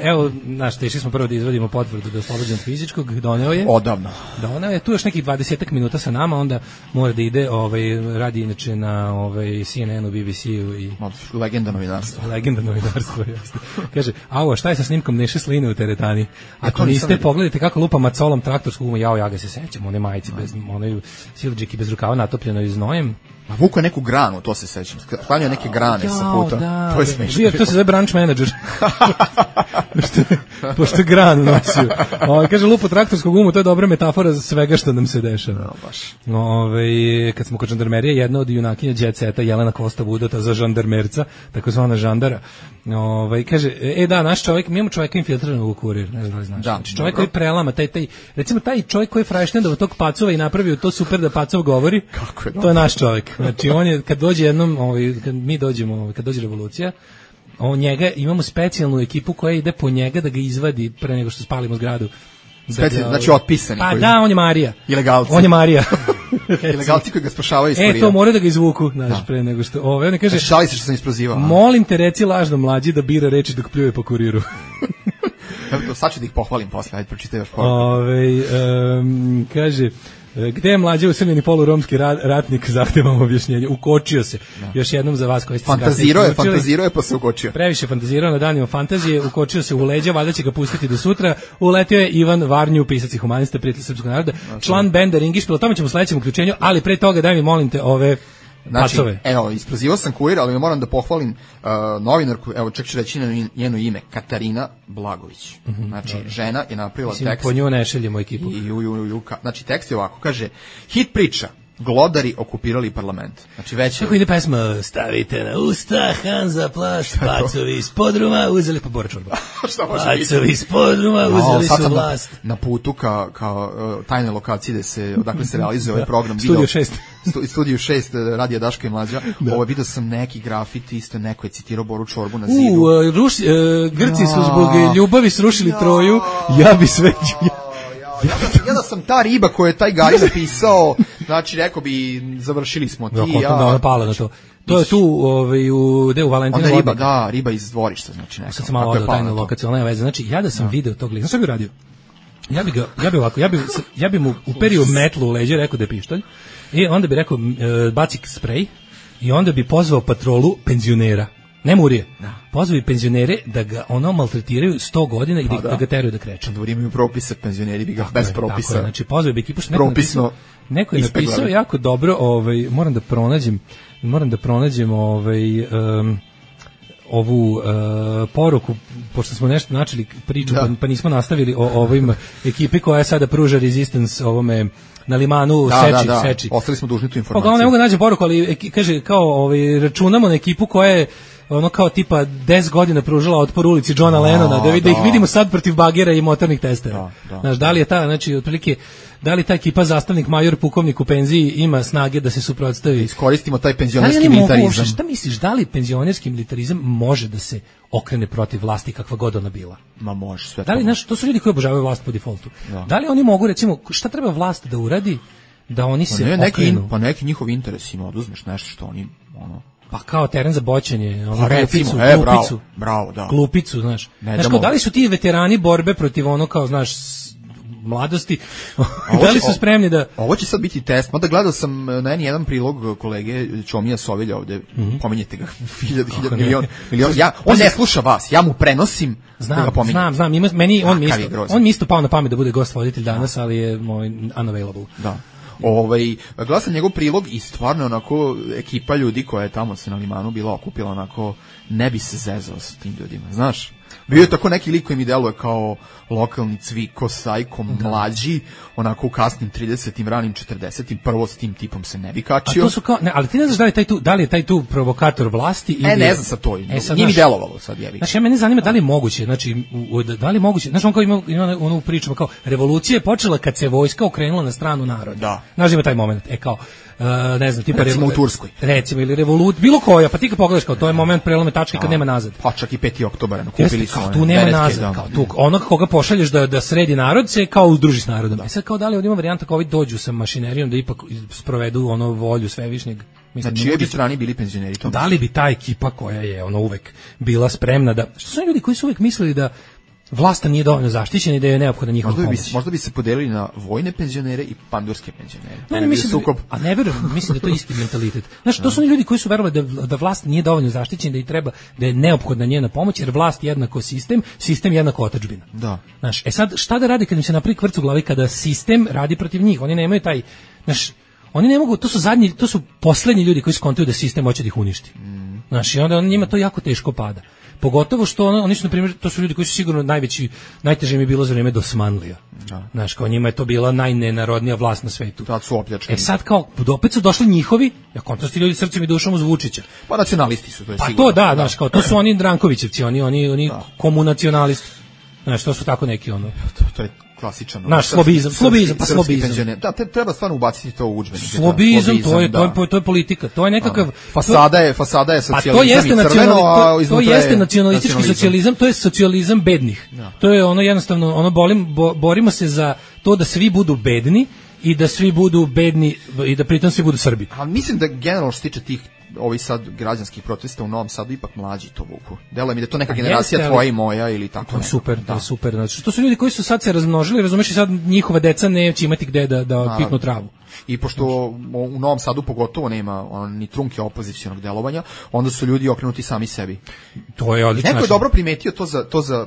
Evo, znaš, tešli smo prvo da izvadimo potvrdu da je oslobođen od fizičkog, doneo je. Odavno. Doneo je, tu još nekih 20 minuta sa nama, onda mora da ide, radi inače na CNN-u, BBC-u i... Legenda novinarstva. Legenda novinarstva, jasno. Kaže, a šta je sa snimkom Neše Sline u teretani? Ako niste, pogledajte kako lupa macolom traktorskog uma, ja ga se sećam, one majice, one silđiki bez rukava natopljenoj znojem. A vuko neku granu, to se sećam. Sklanio neke grane sa puta. Da, to je smiješno. To se zove branch manager. Pošto granu nosio. Kaže, lupo traktorskog uma, to je dobra metafora za svega što nam se dešava. No, baš. Kad smo kod žandarmerije, jedna od junakinja Jet Seta, Jelena Kosta Vudota za žandarmerca, takozvana žandara. Kaže, da, naš čovjek, mi imamo čovjeka infiltriranog u Kurir, ne znam da li znaš. Znači, čovjek koji prelama, recimo taj čovjek koji je fraštendao tog Pacova i napravio to super da Pacov govori, to je naš čovjek. Znači, on je, kad dođe jednom, kad mi dođemo, kad dođe revolucija, njega, imamo specijalnu ekipu koja ide po njega da ga izvadi pre nego što spalimo zgradu. Znači otpisani. Pa da, on je Marija. Ilegalci. On je Marija. Ilegalci koji ga spašavaju iz Kurira. To mora da ga izvuku, znaš, pre nego što... on kaže, šali se što sam isprozivao. Molim te, reci lažno mlađi da bira reči dok pljuje po Kuriru. Sad ću da ih pohvalim posle, ajde pročitaj još kaže... Gde je mlađe usamljeni poluromski ratnik, zahtevam objašnjenje. Ukočio se. Još jednom za vas koji ste fantazirao je pa se ukočio. Previše fantazirao na danima fantazije, ukočio se u leđa, valjda će ga pustiti do sutra. Uletio je Ivan Varnju, pisac i humanista, prijatelj srpskog naroda, član benda Ringišpil, o tome ćemo u sledećem uključenju, ali pre toga daj mi molim te ove pacove. Evo, isprozivao sam Kurir, ali moram da pohvalim novinarku, evo čak ću reći njeno ime, Katarina Blagović. Znači, žena je napravila tekst. Po nju ne šeljemo ekipu. Znači, tekst je ovako, kaže, hit priča, glodari okupirali parlament. Znači, već... Kako ide pesma, stavite na usta, Hanza plast, pacovi iz podruma, uzeli pa Bora Čorba. Pacovi iz podruma, uzeli su vlast. Na putu kao tajne lokacije odakle se realizuje ovaj program. Studio 6. Studio 6, radija Daška i Mlađa. Ovo vidio sam neki grafiti, isto neko je citirao Boru Čorbu na zidu. Grci su zbog ljubavi srušili Troju, ja bi sve... Ja da sam ta riba koju je taj Gari napisao, znači rekao bi završili smo ti ja. Da, ona pala na to. To je tu u Valentinu. Onda riba, da, riba iz dvorišta, znači neka. Sad sam malo odao tajnu lokaciju, ona je veze. Znači, ja da sam video tog lika, šta bi radio? Ja bi mu uperio metlu u leđe, rekao da je pištolj, i onda bi rekao baci sprej, i onda bi pozvao patrolu penzionera. Ne murije. Pozvao bi penzionere da ga maltretiraju 100 godina i da ga teraju da kreće. Da imaju propise, penzioneri bi ga bez propisa. Tako je, znači pozvao bi ekipu, neko je napisao ispeglavi. jako dobro, moram da pronađem ovu poruku, pošto smo nešto načeli priču, pa nismo nastavili o ovim ekipi koja sada pruža resistance ovome na limanu Seči. Ostali smo dužni tu informaciju. Pa ne mogu naći poruku, ali kaže kao računamo na ekipu koja je ono kao tipa 10 godina pružala otpor ulici Johna Lennona, da ih vidimo sad protiv bagera i motornih testera. Znaš, da li je znači otprilike, da li ta ekipa zastavnik major pukovnik u penziji ima snage da se suprotstavi? Iskoristimo taj penzionerski militarizam. Šta misliš, da li penzionerski militarizam može da se okrene protiv vlasti kakva god ona bila? Ma može, sve. Da li, znaš, to su ljudi koji obožavaju vlast po defaultu. Da li oni mogu, recimo, šta treba vlast da uradi da oni se okrenu? Pa neki njihov interes ima, oduzmeš nešto što oni, pa kao teren za boćenje, glupicu. Bravo, da. Glupicu, znaš. Znaš, da li su ti veterani borbe protiv kao, znaš, mladosti, da li su spremni da... Ovo će sad biti test, mada gledao sam na jedan prilog kolege Čomija Sovilja ovde, pominjete ga, milion. On ne sluša vas, ja mu prenosim da ga pominjem. Znam, on mi isto pao na pamet da bude gost voditelj danas, ali je moj unavailable. Da. Gledao sam njegov prilog i stvarno onako ekipa ljudi koja je tamo se na limanu bila okupila, onako ne bi se zezao sa tim ljudima, znaš? Bio je tako neki lik koji mi deluje kao lokalni Cviko, Sajko, mlađi, onako u kasnim 30-im, ranim 40-im, prvo s tim tipom se ne bi kačio. A to su kao, ne, ali ti ne znaš da li je taj tu provokator vlasti ili... ne znam sa to, nije mi delovalo sad, jevi. Znači, mene zanima da li je moguće, znači, da li je moguće, znači, on kao ima onu priču, kao, revolucija je počela kad se vojska okrenula na stranu naroda. Da. Znaš, ima taj moment, kao, ne znam, tipa recimo u Turskoj. Recimo, ili bilo koja, pa ti kad pogledaš, kao, to je moment prelome tačke kad nema nazad. Pa čak i 5. oktobera, kupili su kao, tu nema nazad, kao, tu, onog koga pošalješ da sredi narod se kao udruži s narodom. Sad kao da li ovdje ima varijanta kao ovi dođu sa mašinerijom da ipak sprovedu ono volju svevišnjeg. Znači, čije bi strani bili penzioneri? Da li bi ta ekipa koja je ono uvek bila spremna da... Što su ljudi koji su uvek mislili da vlast nije dovoljno zaštićena i da je neophodna njihova pomoć? Možda bi se podelili na vojne penzionere i pandurske penzionere. Ne mislim a ne verujem, mislim da je to isti mentalitet. Znači, to su oni ljudi koji su verovali da vlast nije dovoljno zaštićena, da je neophodna njena pomoć, jer vlast jednako sistem jednako otadžbina. Da. Znaš, sad šta da radi kad im se napravi kvrc u glavi kada sistem radi protiv njih? Oni nemaju taj, znaš, oni ne mogu, to su poslednji ljudi koji skontuju da sistem hoće da ih uništi. Znaš, i onda njima to jako teško pada. Pogotovo što oni su, na primjer, to su ljudi koji su sigurno najteže im je bilo za vrijeme Dosmanlija. Znaš, kao njima je to bila najnenarodnija vlast na svetu. Tad su opljačkani. Sad kao, opet su došli njihovi, kontrasti ljudi srcem i dušom uz Vučića. Pa nacionalisti su, to je sigurno. Pa to da, znaš, kao, to su oni Drankovićevci, oni komunacionalisti. Znaš, to su tako neki ono. To je klasičan. Naš slobizam. Da, treba stvarno ubaciti to u udžbenike. Slobizam, to je politika, to je nekakav... Fasada je socijalizam i crveno, a iznutra je... To jeste nacionalistički socijalizam, to je socijalizam bednih. To je ono jednostavno, borimo se za to da svi budu bedni i da svi budu bedni i da pritom svi budu Srbi. Ali mislim da generalno što se tiče tih ovi sad građanskih protesta u Novom Sadu ipak mlađi to vuku. Deluje mi da je to neka generacija tvoja i moja ili tako. To je super, to je super. Znači, to su ljudi koji su sad se razmnožili, razumeš, i sad njihova deca neće imati gde da pipnu travu. I pošto u Novom Sadu pogotovo nema ni trunke opozicionog delovanja, onda su ljudi okrenuti sami sebi. To je odlično. Neko je dobro primetio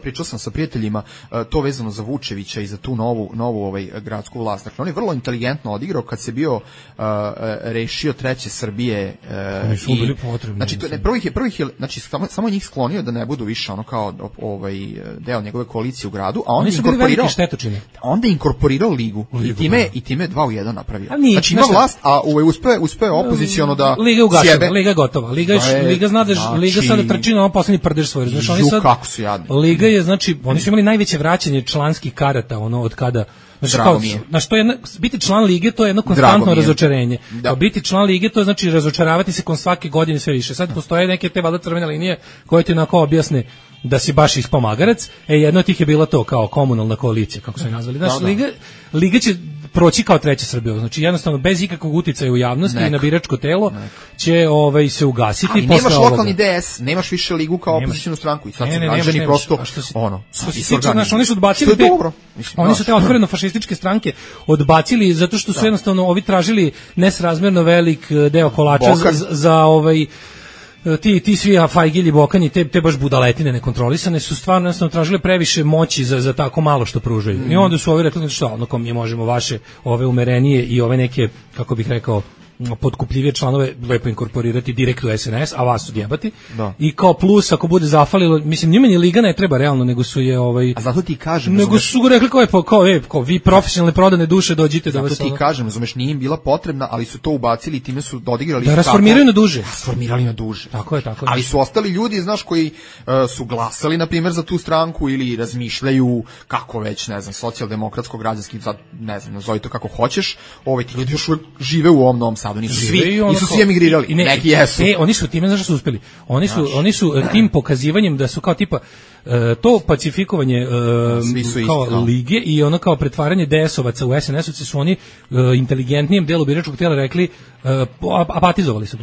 pričao sam sa prijateljima, to vezano za Vučevića i za tu novu gradsku vlast. Dakle, on je vrlo inteligentno odigrao kad se bio rešio treće Srbije. Oni su bili potrebni. Znači, prvih je, znači, samo njih sklonio da ne budu više ono kao deo njegove koalicije u gradu, a onda je inkorporirao ligu i time 2 u 1 napravio. Znači ima vlast, a uspeo opoziciono da sjebe. Liga je gotova. Liga zna da Liga sada trči na poslednji prdež svoj. Znači oni sad kako su jadni. Liga je, znači oni su imali najveće vraćanje članskih karata od kada. Znači, biti član lige to je jedno konstantno razočarenje. Da. Biti član lige to znači razočaravati se kon svake godine sve više. Sad postoje neke te valjda crvene linije koje ti onako objasne da si baš ispomagarac. Jedno od tih je bila to kao komunalna koalicija, kako su je nazvali. Znači, Liga će proći kao treća Srbija. Znači, jednostavno, bez ikakvog uticaja u javnosti i na biračko telo će se ugasiti. Ali nemaš lokalni DS, nemaš više Ligu kao opozicionu stranku i sad su građani prosto oni su odbacili oni su te otvoreno fašističke stranke odbacili zato što su jednostavno ovi tražili nesrazmjerno velik deo kolača za ti svi Fajgilji, Bokani, te baš budaletine nekontrolisane su stvarno jednostavno tražile previše moći za tako malo što pružaju. I onda su ovi rekli što, ono kom mi možemo vaše ove umerenije i ove neke, kako bih rekao, potkupljivije članove lepo inkorporirati direkt u SNS, a vas odjebati. I kao plus, ako bude zafalilo, mislim, njima ni Liga ne treba realno, nego su je A zato ti kažem, nego su rekli kao vi profesionalne prodane duše dođite da vas... Zato ti kažem, razumeš, nije im bila potrebna, ali su to ubacili i time su odigrali... Da rasformiraju na duže. Rasformirali na duže. Tako je. Ali su ostali ljudi, znaš, koji su glasali, na primjer, za tu stranku ili razmišljaju kako već, ne znam, socijaldemokratsko-građanski, ne znam, nazove to kako hoćeš, ti ljudi još žive u ovom Novom Sadu, nisu svi emigrirali, neki jesu. Oni su time, znaš što su uspeli? Oni su tim pokazivanjem da su kao tipa to pacifikovanje kao lige i ono kao pretvaranje DS-ovaca u SNS-ovce su oni inteligentnijem delu biračkog tijela rekli apatizovali su.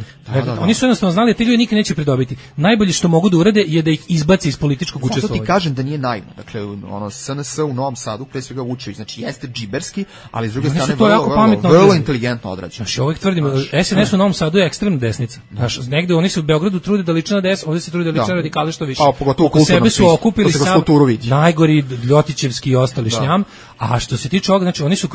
Oni su jednostavno znali da ti ljudi nikad neće pridobiti. Najbolje što mogu da urade je da ih izbaci iz političkog učestvovanja. Zato ti kažem da nije naivno. Dakle, SNS u Novom Sadu, pre svega Vučević, znači jeste džiberski, ali s druge strane vrlo inteligentno odrađeno. Znači, ovih tvrdim, SNS u Novom Sadu je ekstremna desnica. Negde oni se u Beogradu trude da liče na DS, ovdje se trude da liče na radikale što više. Oko sebe su okupili sav najgori Ljotićevski i ostali šljam, a što se tiče ovoga, znači oni su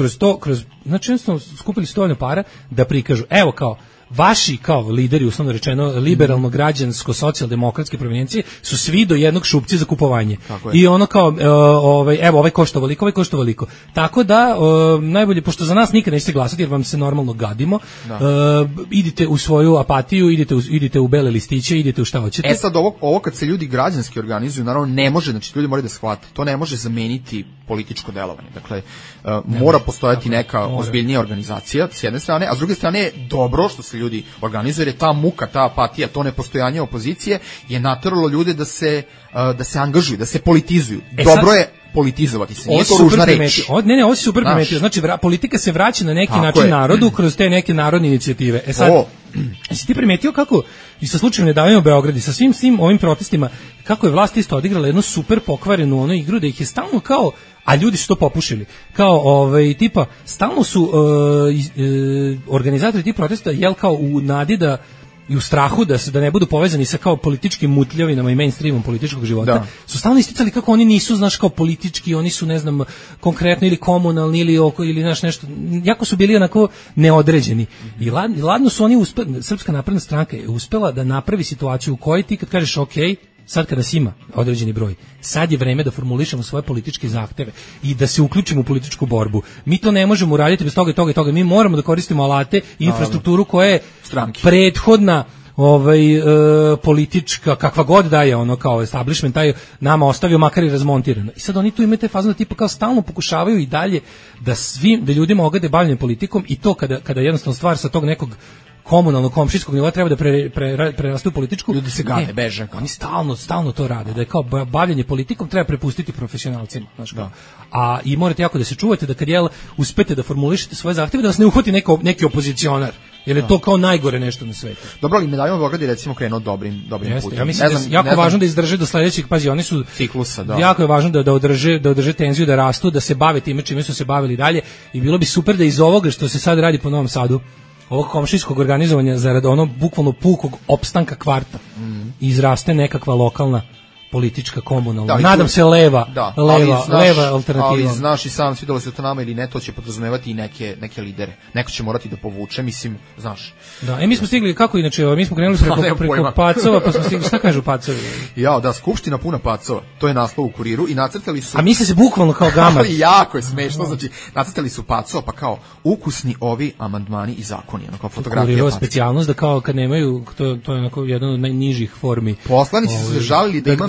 znači jednostavno skupili dovoljno para da prikažu, evo kao, vaši kao lideri, uslovno rečeno, liberalno građansko socijaldemokratske provinjencije su svi do jednog šupci za kupovanje. I ono kao evo ovaj košta ovoliko, ovaj košta ovoliko. Tako da najbolje, pošto za nas nikad nećete glasati jer vam se normalno gadimo, idite u svoju apatiju, idite u bele listiće, idite u šta hoćete. Sad ovo kad se ljudi građanski organizuju, naravno ne može, znači ljudi moraju da shvate, to ne može zameniti političko delovanje. Dakle, mora postojati neka ozbiljnija organizacija s jedne strane, a s druge strane je dobro što se ljudi organizuju, jer je ta muka, ta apatija, to nepostojanje opozicije je nateralo ljude da se angažuju, da se politizuju. Dobro je politizovati se, nije to ružna reč. Ne, ovo si super primetio. Znači, politika se vraća na neki način narodu kroz te neke narodne inicijative. Si ti primetio kako, i sa slučajem Nedavimo Beograd, i sa svim ovim protestima, kako je vlast isto odigrala jednu super pokvarenu onu igru, da ih je stalno kao, a ljudi su to popušili, kao tipa, stalno su organizatori tih protesta, kao u nadi da i u strahu da ne budu povezani sa kao političkim mutljavinama i mainstreamom političkog života, su stalno isticali kako oni nisu, znaš, kao politički, oni su, ne znam, konkretno ili komunalni ili znaš, nešto, jako su bili onako neodređeni. I ladno su oni Srpska napredna stranka je uspela da napravi situaciju u kojoj ti kad kažeš ok, sad kada nas ima određeni broj, sad je vreme da formulišemo svoje političke zahteve i da se uključimo u političku borbu. Mi to ne možemo uraditi bez toga i toga. Mi moramo da koristimo alate i infrastrukturu koja je prethodna politička, kakva god da je ono kao establishment, taj nama ostavio makar i razmontirano. I sad oni tu imaju te fazne tipa kao stalno pokušavaju i dalje da ljudima ogade bavljenje politikom i to kada jednostavno stvar sa tog nekog komunalnog, komšijskog nivoa treba da preraste u političku. Ljudi se gade, beže. Oni stalno to rade, da je kao bavljenje politikom treba prepustiti profesionalcima. Znaš, a i morate jako da se čuvate da kad uspete da formulišete svoje zahteve, da vas ne uhvati neki opozicionar. Jer je to kao najgore nešto na svetu. Dobro, ali Nedavimo Beograd je recimo krenuo dobrim putem. Ja mislim da je jako važno da izdrže do sledećeg, pazi, oni su ciklusa, jako je važno da održe tenziju, da rastu, da se bave time čime su se bavili dalje i bilo bi super da iz ovoga što se sad radi po Novom Sadu, ovog komšijskog organizovanja zarad bukvalno pukog opstanka kvarta, izraste nekakva lokalna politička, komunalna. Nadam se leva alternativa. Ali znaš i sam, svidjelo se to nama ili ne, to će podrazumevati i neke lidere. Neko će morati da povuče, mislim, znaš. Da, mi smo stigli, kako inače, mi smo krenuli preko pacova, pa smo stigli, šta kažu pacovi? Skupština puna pacova, to je naslov u Kuriru i nacrtali su... A misle se bukvalno kao gamar. Ali jako je smešno, znači, nacrtali su pacova, pa kao ukusni ovi amandmani i zakoni, ono kao fotografija pacova. Kuriru specijalnost da kao kad nemaju, to je onako jedan od najnižih formi. Poslanici su se žalili da ima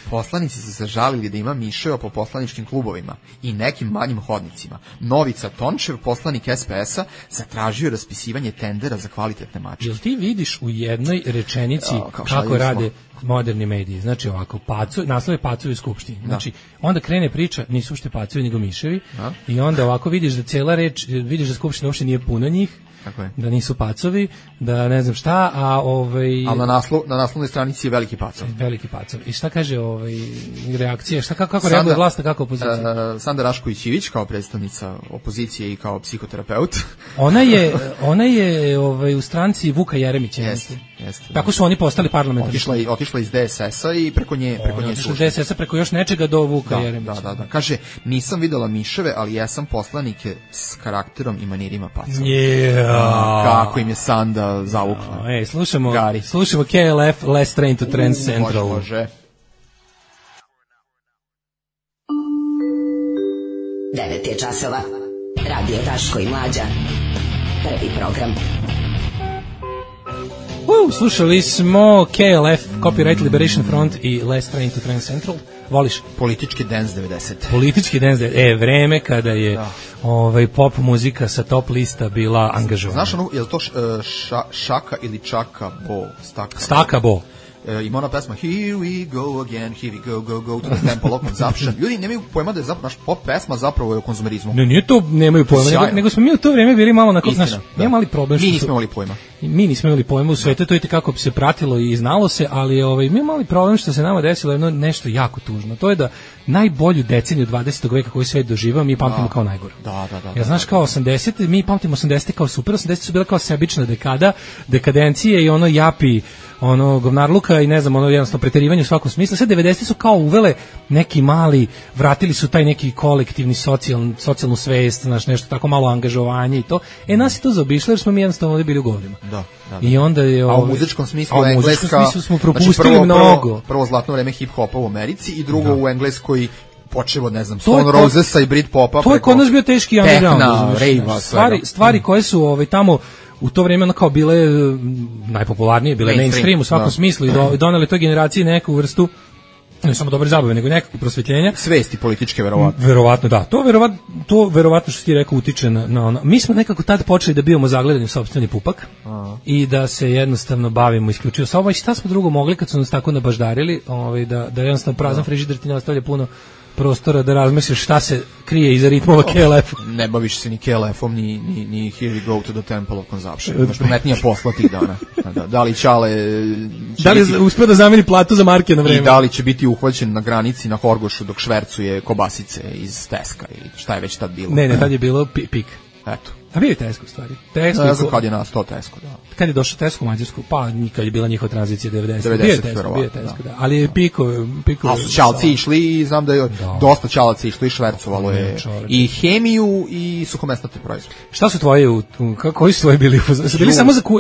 Poslanici su se žalili da ima miševa po poslaničkim klubovima i nekim manjim hodnicima. Novica Tončev, poslanik SPS-a, zatražio raspisivanje tendera za kvalitetne mačke. Jel ti vidiš u jednoj rečenici kako rade moderni mediji? Znači ovako, naslov je pacovi u skupštini. Znači, onda krene priča, nisu uopšte pacovi nego miševi, i onda ovako vidiš da cela reč, vidiš da skupština uopšte nije puno njih, da nisu pacovi, da ne znam šta, ali na naslovnoj stranici je veliki pacov. Veliki pacov. I šta kaže reakcija, kako reaguje vlast, kako opozicija? Sanda Rašković-Ivić kao predstavnica opozicije i kao psihoterapeut. Ona je u stranci Vuka Jeremića. Jeste. Tako su oni postali parlamentarni. Otišla iz DSS-a i preko nje slušala. DSS-a preko još nečega do Vuka Jeremića. Da. Kaže, nisam videla miševe, ali jesam poslanike s karakterom i manirima pacova. Kako im je Sanda zavukla. Slušamo KLF, Less Train to Trans Central. Može. 9 je časova. Radio Daško i Mlađa. Prvi program. Slušali smo KLF, Copyright Liberation Front i Less Train to Trans Central. Voliš? Politički dance 90. Politički dance 90. Vreme kada je pop muzika sa top lista bila angažovana. Znaš je li to Šaka ili Čaka Bo? Staka Bo. Ima ona pesma Here we go again, here we go to the temple of consumption. Ljudi nemaju pojma da je zapravo naš pop pesma zapravo je o konzumerizmu. Ne, nije to, nemaju pojma, nego smo mi u to vrijeme bili malo onako, znaš, nije mali problem. Mi nismo imali pojma. Mi nismo imali pojma u svetu, to je kako se pratilo i znalo se, ali mi imali problem što se nama desilo nešto jako tužno. To je da najbolju deceniju 20. veka koju svet doživao mi pamtimo kao najgoru. Ja znaš kao 80, mi pamtimo 80 kao super, 80 su bile kao sebična dekada, dekadencije i ono japi ono govnarluka i ne znam, ono jednostavno preterivanje u svakom smislu. Sve 90 su kao uvele neki mali, vratili su taj neki kolektivni socijalnu svest, znaš, nešto tako malo angažovanje i to. Nas je to zaobišlo jer smo mi jednostavno ovdje bili u govorima. Da. I onda je a u muzičkom smislu Engleska smo propustili mnogo. Prvo zlatno vreme hip-hopa u Americi i drugo u Engleskoj počevo, ne znam, Stone Rosesa i Britpopa. To je kod nas bio teški underground. Rave-a, stvari koje su tamo u to vrijeme ono kao bile najpopularnije, bile mainstream u svakom smislu i doneli toj generaciji neku vrstu ne samo dobre zabave, nego nekakvog prosvetljenja. Svesti političke, verovatno. Verovatno, da. To verovatno što ti rekao utiče na ono. Mi smo nekako tad počeli da bivamo zagledani u sopstveni pupak i da se jednostavno bavimo isključivo sobom. I šta smo drugo mogli kad su nas tako nabaždarili, da jednostavno prazan frižider ti ne ostavlja puno prostora da razmisliš šta se krije iza ritmova KLF. Ne baviš se ni KLF-om, ni Here We Go to the Temple of Consumption. Imaš pametnija posla tih dana. Da li Čale... Da li uspio da zameni platu za marke na vreme? I da li će biti uhvaćen na granici na Horgošu dok švercuje kobasice iz Teska ili šta je već tad bilo? Ne, tad je bilo pik. Eto. A bio je Tesco u stvari. Ne znam kad je nastao Tesco, da. Kad je došao Tesco u Mađarsku, pa kad je bila njihova tranzicija 90. Bio je Tesco, da. Ali je piko. Ali su Čalci išli i znam da je dosta Čalaca išli i švercovalo je i hemiju i suhomesnate proizvode. Šta su tvoje, koji su tvoji bili u fazonu?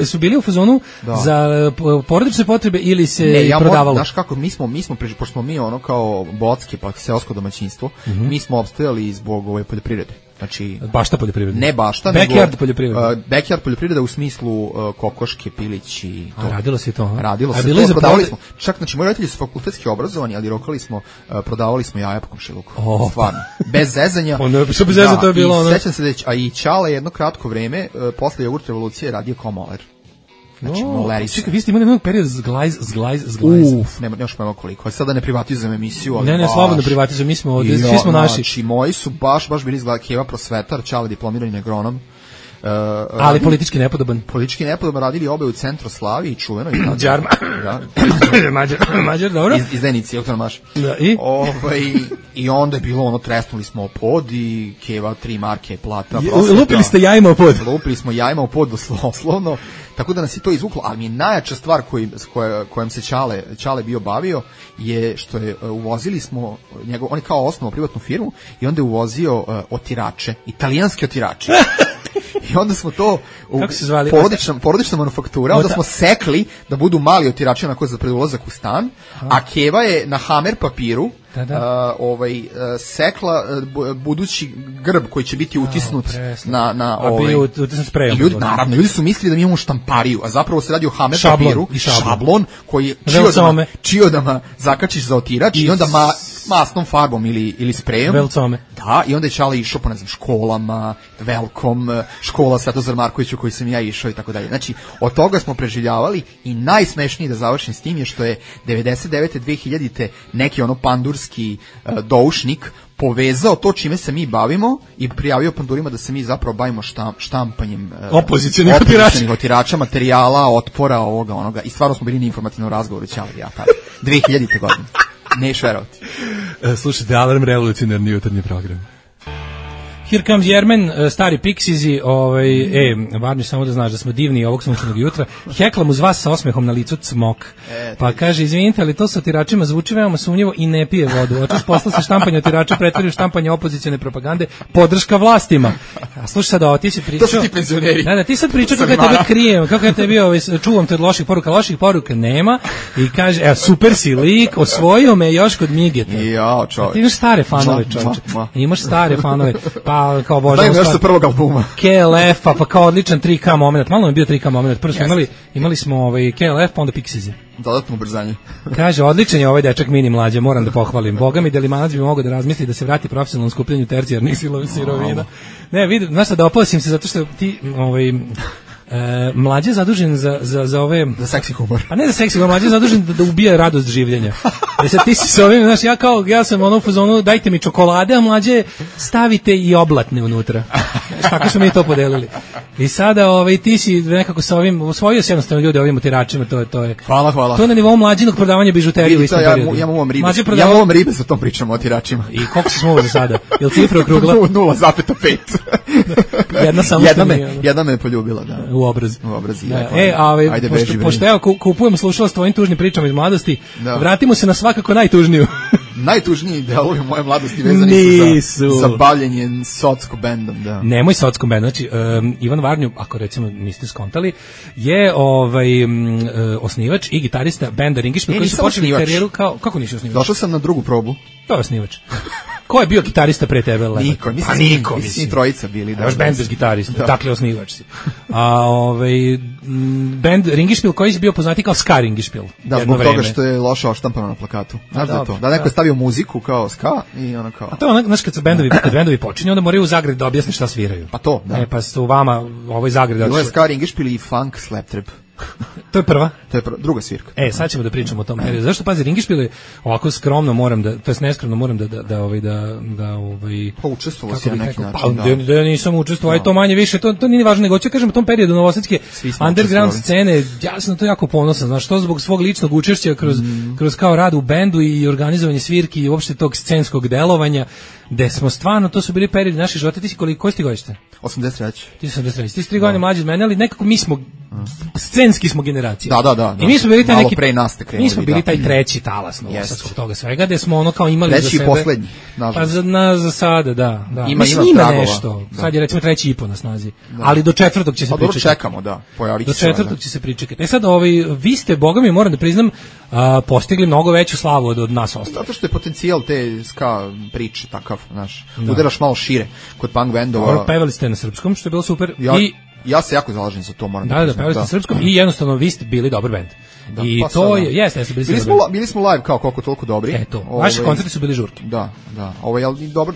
Su bili u fazonu za porodične potrebe ili se prodavalo? Znaš kako, mi smo pošto smo mi ono kao bocke, pa seosko domaćinstvo, mi smo opstajali zbog ove poljoprivrede. Znači, bašta poljoprivreda. Ne bašta, backyard poljoprivreda. Backyard poljoprivreda u smislu kokoške, pilići, to. Radilo se to. Radilo se to, prodavali smo. Čak, znači, moji roditelji su fakultetski obrazovani, ali prodavali smo jaja po komšiluku. Stvarno. Bez zezanja. Što bez zezanja to je bilo ono. Sećam se a i Čale jedno kratko vreme, posle jogurt revolucije radio kao moler. Znači, moleri su. Čekaj, vi ste imali jedan period zglajz. Nemaš pojma koliko. Sada ne privatizujem emisiju. Ne, slobodno privatizujem, mi smo ovdje, svi smo naši. Znači, moji su baš bili Keva prosvetar, Čale diplomirani agronom. Ali politički nepodoban. Politički nepodoban, radili obe u Centroslavi i čuveno. Mađar, dobro. Iz Zenici, Ilton Maš. I onda je bilo ono, tresnuli smo pod i Keva 3 marke plata. Lupili ste jajima u pod. Lupili smo jajima u pod, doslovno. Tako da nas je to izvuklo, ali mi je najjača stvar kojom se Čale bio bavio je što je uvozili smo on je kao osnovao privatnu firmu i onda je uvozio otirače, italijanske otirače. I onda smo to porodična manufaktura, onda smo sekli da budu mali otirači na koji za predulazak u stan, a Keva je na hamer papiru sekla budući grb koji će biti utisnut na utisnut sprejom. Ljudi su mislili da mi imamo štampariju, a zapravo se radi o hamer papiru, šablon koji čiodama zakačiš za otirač i onda masnom farbom ili sprejom. Velcome. Da, i onda je Čale išao po, ne znam, školama, Velkom, škola Svetozar Marković u koji sam ja išao i tako dalje. Znači, od toga smo preživljavali i najsmešnije da završim s tim je što je 99. 2000. neki ono pandurski doušnik povezao to čime se mi bavimo i prijavio pandurima da se mi zapravo bavimo štampanjem opozicionih otirača, materijala, otpora, ovoga, onoga. I stvarno smo bili na informativnom razgovoru, Čale i ja tada. 2000. godine. Neš verovati. Slušajte, Alarm, revolucionarni jutarnji program. Here comes Jermen, stari Pixiesi, Varnju, samo da znaš da smo divni ovog sunčanog jutra. Heklam uz vas sa osmehom na licu cmok. Pa kaže, izvinite, ali to sa otiračima zvuči veoma sumnjivo i ne pije vodu. Očas posla se štampanje otirača pretvori u štampanje opozicione propagande, podrška vlastima. A slušaj sad ovo, ti si pričao... To su ti penzioneri. Da, ti sad pričao kako ja tebe krijem, kako ja tebi čuvam te od loših poruka nema i kaže, super si lik, osvojio me još kod Migeta. Ja, čovječ. Ti imaš stare fanove, čovječe. Imaš stare fanove, pa kao Bože. Daj mi još sa prvog albuma. KLF, pa kao odličan 3K moment. Malo mi je bio 3K moment. Prvo smo imali smo KLF, pa onda Pixiesi. Dodatno ubrzanje. Kaže, odličan je ovaj dečak Mini Mlađa, moram da pohvalim. Boga mi, Delimanac bi mogao da razmisli da se vrati profesionalnom skupljanju tercijarnih sirovina. Ne, vidi, znaš da oposim se zato što ti, Mlađe je zadužen za ove... Za seksi humor. A ne za seksi humor, Mlađe je zadužen da ubija radost življenja. Sad ti si s ovim, znaš, ja sam ono u fazonu, dajte mi čokolade, a mlađe stavite i oblatne unutra. Znaš, tako smo mi to podelili. I sada ti si nekako sa ovim, osvojio si jednostavno ljude ovim motiračima, to je. Hvala. To je na nivou mlađinog prodavanja bižuterije u istom periodu. Ja imam ribe sa tom pričom o tiračima. I koliko si smuo za sada? Jel cifra okrugla? 0,5. Jedna me poljubila, da. U obraz. Da. Ajde, pošto evo kupujem slušala s tvojim tužnim pričama iz mladosti, vratimo se na svakako najtužniju. Najtužniji delovi moje mladosti vezani su za bavljenje socko bendom, da. Nemoj socko bendom, znači Ivan Varnju, ako recimo niste skontali, je osnivač i gitarista benda Ringišpil koji su počeli karijeru kao, kako nisi osnivač? Došao sam na drugu probu. To je osnivač. Ko je bio gitarista pre tebe? Niko, mislim. Trojica bili. Da, baš bend bez gitarista, dakle osnivač si. A bend Ringišpil koji je bio poznati kao ska Ringišpil. Da, zbog toga što je loše oštampano na plakatu. Znaš da je to? Da neko je stavio muziku kao ska i ono kao... A to je znaš kad bendovi počinju, onda moraju u zagradi da objasne šta sviraju. Pa to, da. Pa su vama ovoj zagradi... Bilo je ska Ringišpil i funk slaptrap. To je prva? To je druga svirka. Sad ćemo da pričamo o tom periodu. Zašto, pazi, Ringišpil je ovako skromno neskromno moram pa učestvovao si na neki način. Da nisam učestvovao, to manje više, to nije važno, nego ću kažem u tom periodu novosadske underground scene, ja sam to jako ponosan, znaš, to zbog svog ličnog učešća kroz kao rad u bendu i organizovanje svirki i uopšte tog scenskog delovanja, gde smo stvarno, to su bili periodi naših života. Ti si koji si ti godište? 83. Ti si 83. Ti si 3 godine mlađi od mene, ali nekako mi smo scenski smo generacija. Da. I mi smo bili taj neki pre nas te krenuli. Mi smo bili taj treći talas novosadskog toga svega, gde smo ono kao imali treći za sebe. Treći i poslednji, nažalost. Pa za sada, da. Ima nešto. Da. Sad je recimo 3,5 na snazi. Da. Ali do 4. će se pričekati. Čekamo, da. Do 4. će se pričekati. Sad vi ste, boga mi moram da priznam, postigli mnogo veću slavu od nas ostalih. Zato što je potencijal te ska priče takav, znaš. Udaraš malo šire kod punk bendova. Pevali ste na srpskom, što je bilo super. Ja se jako zalažem za to, moram da priznam. Pevali ste na srpskom i jednostavno vi ste bili dobar bend. I pa to je, jeste bili smo live kao koliko toliko dobri. Eto, vaši koncerti su bili žurki. Da.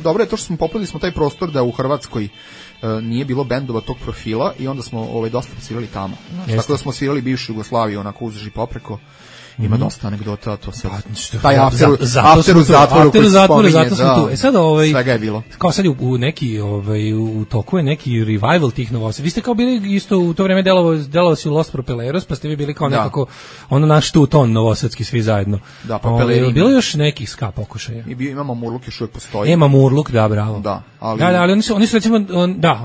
Dobro je to što smo popunili smo taj prostor da u Hrvatskoj nije bilo bendova tog profila i onda smo dosta svirali tamo. Tako da smo svirali bivšu Jugoslaviju onako uzduž i popreko. Ima dosta anegdota, to sad. Taj after u zatvoru koji se spominje, zato sam tu. Sad svega je bilo. Kao sad u neki, u toku je neki revival tih novosadskih. Vi ste kao bili isto u to vreme delovali si u Los Propeleros, pa ste vi bili kao nekako naš tu ton novosadski svi zajedno. Da, Propeleri. Bilo još nekih ska pokušaja. Imamo Murluk još uvijek postoji. Murluk, da, bravo. Da, ali oni su recimo,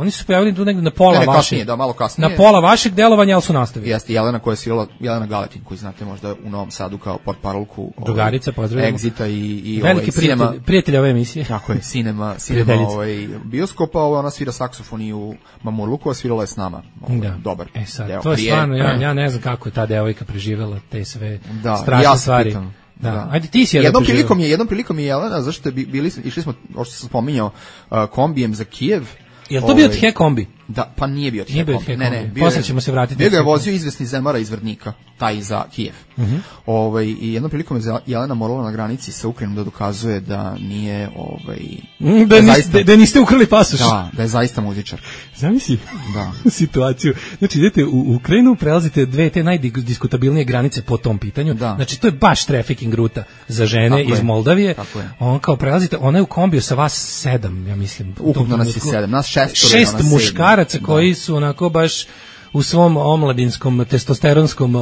oni su pojavili tu negde na pola vašeg. Malo kasnije. Na pola vašeg delovanja, ali su nastavili. Jeste, Jelena koja je svirala, Jelena Galetin, koju znate možda u Novom Sadu kao portparolku drugarica, pozdravljamo. Exita i veliki prijatelj ove emisije. Tako je, Cinema bioskopa, ona svira saksofon i u Mamurluku, a svirala je s nama. Dobar. Sad, to je stvarno, ja ne znam kako je ta devojka preživela te sve strašne stvari. Da. Ajde, ti si jednom prilikom je Jelena, zašto išli smo, ovo što sam spominjao, kombijem za Kijev. Je li to bio The kombi? Da, pa nije bio The kombi. Ne. Posle ćemo se vratiti. Bio ga je vozio izvesni Zemara iz Vrdnika, taj za Kijev. I jednom prilikom je Jelena morala na granici sa Ukrajinom da dokazuje da nije da niste ukrali pasoš. Da je zaista muzičar. Zamisli situaciju. Znači idete u Ukrajinu, prelazite dve te najdiskutabilnije granice po tom pitanju. Znači to je baš trafficking ruta za žene iz Moldavije. On kao prelazite, ona je u kombiju sa vas 7, ja mislim. Ukupno nas je 7, nas 6 muškaraca koji su onako baš u svom omladinskom, testosteronskom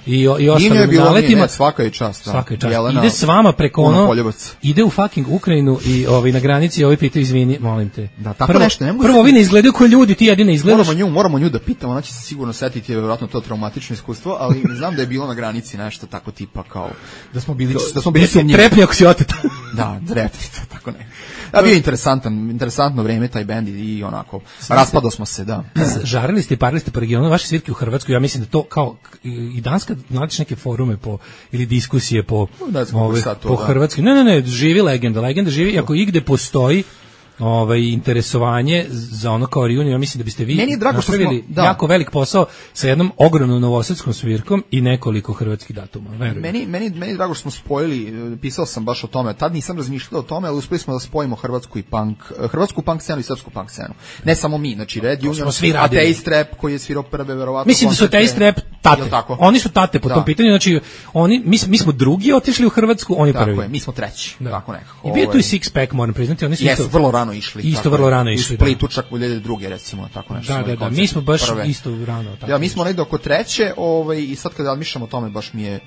i ostalim naletima. Svaka je čast. Jelena, ide s vama preko ide u fucking Ukrajinu i na granici pitaju, izvini, molim te. Da, tako nešto. Prvo ovi ne izgledaju kao ljudi, ti jedine izgledaš. Moramo nju da pitamo, ona će se sigurno setiti, vjerojatno to traumatično iskustvo, ali znam da je bilo na granici nešto tako tipa kao, da smo bili sumnjivi. Trepni ako si oteta. Da, trepni, tako ne. A bio interesantno vreme taj bend i onako, raspadao smo se, da. Žarili ste i parili ste po regionu, vaše svirke u Hrvatskoj, ja mislim da to kao i danas kad nađeš neke forume ili diskusije po Hrvatskoj. Ne, živi legenda živi, ako igde postoji interesovanje za ono kao reunion, ja mislim da biste vi napravili jako velik posao sa jednom ogromnom novosadskom svirkom i nekoliko hrvatskih datuma. Meni je drago što smo spojili, pisao sam baš o tome, tad nisam razmišljao o tome, ali uspeli smo da spojimo hrvatsku punk scenu i srpsku punk scenu. Ne samo mi, znači Red Union, Atheist Rap koji je svirao prve, verovatno. Mislim da su Atheist Rap Jel tako? Oni su tate po tom pitanju, znači mi smo drugi otišli u Hrvatsku, oni prvi. Tako je, mi smo treći, tako nekako. I bio tu i Six Pack, moram priznati, oni su isto vrlo rano išli. Isto vrlo rano išli. U Splitu čak u 2002. recimo, tako nešto. Da, mi smo baš isto rano. Ja, mi smo negde oko treće, i sad kada razmišljam o tome, baš mi je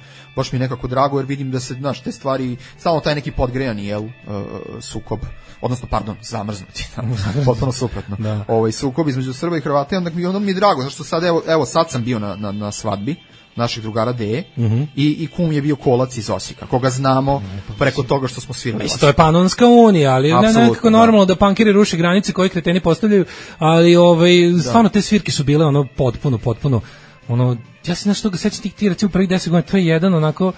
nekako drago, jer vidim da se, znaš, te stvari, stalno taj neki podgrejani, sukob, odnosno, zamrznuti, potpuno suprotno. Sukob između Srba i Hrvata, onda mi je drago, zašto sad, sad sam bio na svadbi naših drugara Deje i kum je bio Kolac iz Osijeka, koga znamo preko toga što smo svirali. To je Panonska unija, ali nekako normalno da pankiri ruše granice koje kreteni postavljaju, ali stvarno te svirke su bile potpuno, ja se nešto toga sećam ti recimo prvih 10 godina, to je jedan onako,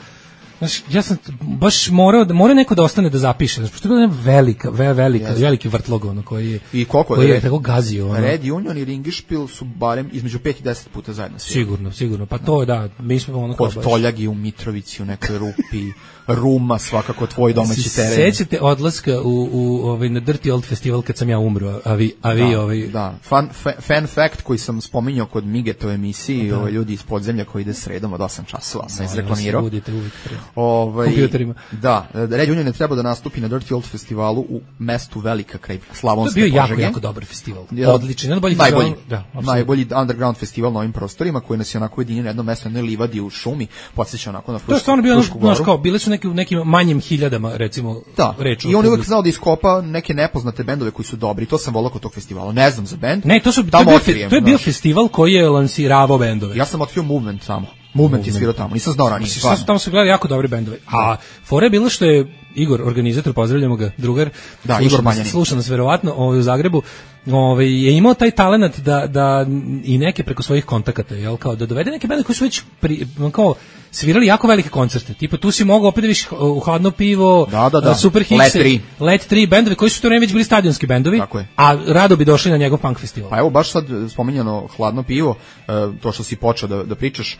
znaš, ja sam baš mora neko da ostane da zapiše, znači, pošto je bila veliki vrtlog, koji je, i koliko je tako gazio. Red Union i Ringišpil su barem između 5 i 10 puta zajedno. Sigurno, pa to je, mi smo kod Toljagi u Mitrovici, u nekoj rupi, Ruma, svakako tvoj domaći teren. Sećate odlaska na Dirty Old Festival kad sam ja umro, a vi Da, fan fact koji sam spominjao kod Migetove emisiji, ljudi iz podzemlja koji ide sredom od 8 časova, sam izreklamirao. Budite uvijek kompjuterima. Da, Red Union je trebao da nastupi na Dirty Old Festivalu u mestu Velika kraj Slavonske Požege. To je bio jako dobar festival. Odličan, najbolji underground festival na ovim prostorima koji nas je onako ujedinio na jednom mestu, na jednoj livadi u šumi, podsjeća onako na Frušku Goru. To je stvarno bio, bile su nekim manjim hiljadama, recimo, reč. I on je uvijek znao da iskopa neke nepoznate bendove koji su dobri. To sam volao kod tog festivala. Ne znam za bend. Ne, to je bio festival koji je lansiravao bendove. Ja sam otkrio Movement samo. Movement je svirao tamo, nisam znao ranije. Tamo su gledali jako dobri bendovi. A fora je bilo što je Igor, organizator, pozdravljamo ga, drugar, Igor Manjanin, sluša nas verovatno u Zagrebu, je imao taj talenat da i neke preko svojih kontakata, kao da dovede neke bende koji su već svirali jako velike koncerte. Tipa tu si mogao opet da viš u Hladno pivo, Super Hits, Let 3 bendovi koji su to već bili stadionski bendovi, a rado bi došli na njegov punk festival. Pa evo baš sad spominjano Hladno pivo, to što si počeo da pričaš,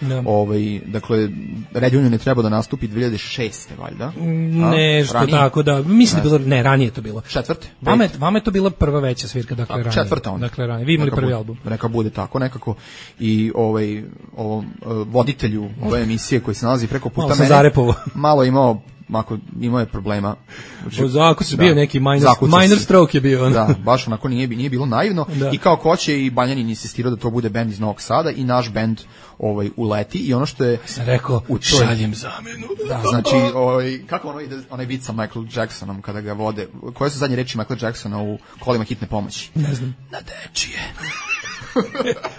dakle Red Union je trebao da nastupi 2006. valjda. Nešto tako da, mislim da bilo, ranije to bilo. Četvrte? Vama je to bila prva veća svirka, dakle ranije. Četvrta onda. Dakle ranije, vi imali prvi album. Neka bude tako nekako i ovom voditelju ove emisije koji se nalazi preko puta mene, malo imao je problema. Ako se bio neki minor stroke je bio. Da, baš onako nije bilo naivno i kao hoće i Banjanin insistirao da to bude bend iz Novog Sada i naš bend uleti i ono što je... Sam rekao, šaljem zamenu. Da, znači, kako ono ide, onaj vic sa Michael Jacksonom kada ga vode, koje su zadnje reči Michael Jacksona u Kolima hitne pomoći? Ne znam. Na dečije.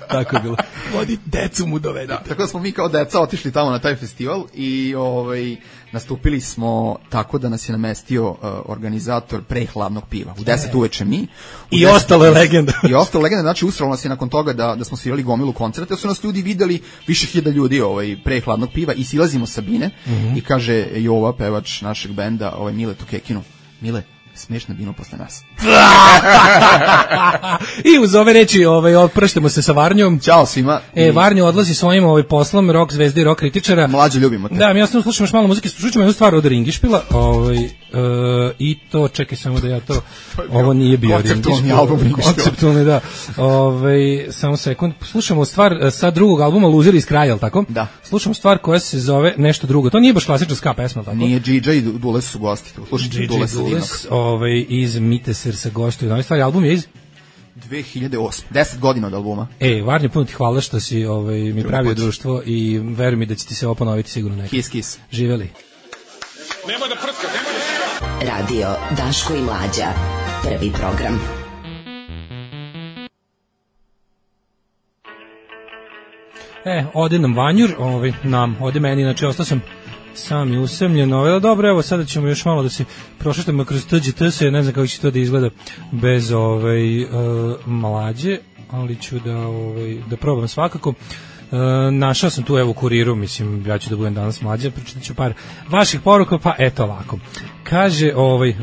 Tako je bilo. Vodi decu mu dovede. Tako da smo mi kao deca otišli tamo na taj festival i nastupili smo tako da nas je namestio organizator pre Hladnog piva. U 10 uveče mi. I ostale legende. Znači usralo nas je nakon toga da smo svirali gomilu koncerta, jer su nas ljudi videli, više hiljada ljudi pre Hladnog piva i silazimo sa bine i kaže Jova, pevač našeg benda, Mile Tukekinu, Mile, smiješ na binu posle nas. I uz ove reči opraštamo se sa Varnjom. Ćao svima. Varnjo odlazi svojim poslom rock zvezde i rock kritičara. Mlađe, ljubimo te. Da, mi jasno slušamo još malo muzike, slušamo jednu stvar od Ringišpila. I to, čekaj samo da ja to... Ovo nije bio Ringišpil. Konceptualni, da. Samo sekund. Slušamo stvar sa drugog albuma Loser iz kraja, tako? Da. Slušamo stvar koja se zove nešto drugo. To nije baš klasična ska pesma, tako? Nije, DJ i Dules su gosti. Slušajte Dules iz Miteser sa gostuju. Novi stvari, album je iz 2008. 10 godina od albuma. Varnje, puno ti hvala što si mi pravio društvo i veruj mi da će ti se ovo ponoviti sigurno nekako. Kiss. Živeli. Nemoj da prska, nemoj da... Radio Daško i Mlađa. Prvi program. Ode nam Vanjur, ode meni, znači ostao sam sam i usamljen, dobro, evo sada ćemo još malo da se prošetamo kroz TGT-se, ne znam kako će to da izgleda bez Mlađe, ali ću da probam svakako. Našao sam tu u Kuriru, mislim, ja ću da budem danas Mlađa, pročitat ću par vaših poruka, pa eto ovako. Kaže,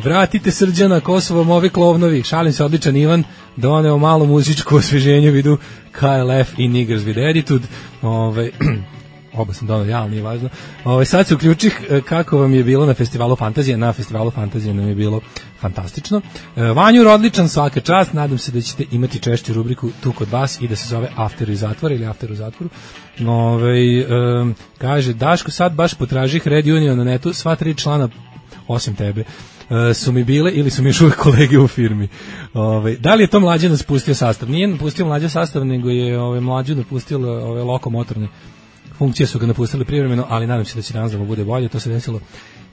vratite Srđana Kosovom ovi klovnovi, šalim se, odličan Ivan, doneo malo muzičko osveženje, vidu KLF i Niggers with Attitude, oba sam donao, ja, nije važno. Sad se uključih kako vam je bilo na festivalu Fantazije. Na festivalu Fantazije nam je bilo fantastično. Vanjur, odličan, svaka čast. Nadam se da ćete imati češću rubriku tu kod vas i da se zove After iz zatvora ili After u zatvoru. Kaže, Daško, sad baš potražih Red Union na netu, sva 3 člana, osim tebe, su mi bile ili su mi još uvijek kolege u firmi. Da li je to Mlađa napustio sastav? Nije napustio Mlađa sastav, nego je Mlađu napustila ove lokomotorne funkcije, su ga napustili privremeno, ali nadam se da će danas da mu bude bolje. To se desilo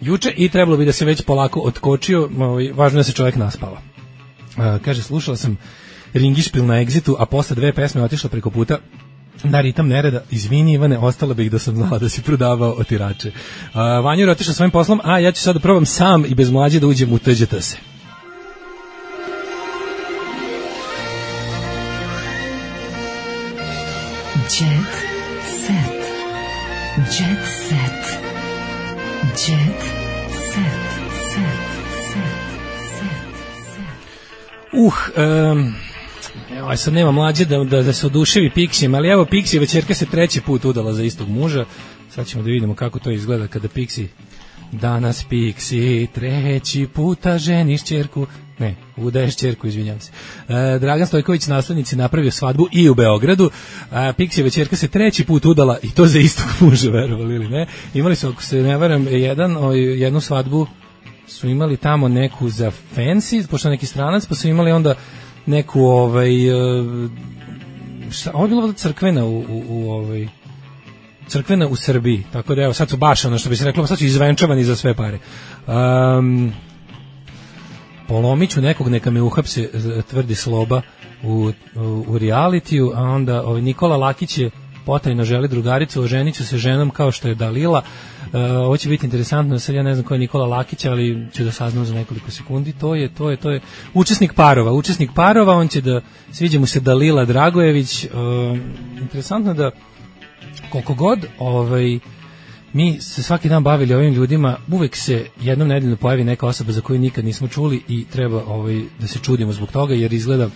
juče i trebalo bi da se već polako otkočio. Važno je da se čovjek naspava. Kaže, slušala sam Ringišpil na Exitu, a posle 2 pesme otišla preko puta na ritam nereda. Izvini, Ivane, ostalo bih da sam znala da si prodavao otirače. Vanjur je otišao svojim poslom, a ja ću sad da probam sam i bez Mlađe da uđem u TGTS. Jet set. Jet set. Jet set. Evo, sad nema Mlađe da se oduševi Pixijem, ali evo Pixijeva ćerka se 3. put udala za istog muža. Sad ćemo da vidimo kako to izgleda kada Pixi, danas Pixi 3. puta ženiš ćerku, ne, udaješ ćerku, izvinjam se. Dragan Stojković, naslednici, napravio svadbu i u Beogradu. Pixijeva ćerka se 3. put udala i to za istog muža, verovali ili ne. Imali su, ako se ne varam, jednu svadbu su imali tamo neku za fancy, pošto neki stranac, pa su imali onda neku ovo je bilo crkvena crkvena u Srbiji, tako da evo sad su baš ono što bi se reklo, sad su izvenčavani za sve pare. Polomiću nekog, neka me uhapse, tvrdi Sloba u realitiju, a onda Nikola Lakić je potajno želi drugaricu, oženit ću se ženom kao što je Dalila. Ovo će biti interesantno, sad ja ne znam ko je Nikola Lakić, ali ću da saznam za nekoliko sekundi. To je učesnik parova, on će da, sviđa mu se Dalila Dragojević. Interesantno da koliko god mi se svaki dan bavili ovim ljudima, uvek se jednom nedeljno pojavi neka osoba za koju nikad nismo čuli i treba da se čudimo zbog toga, jer izgleda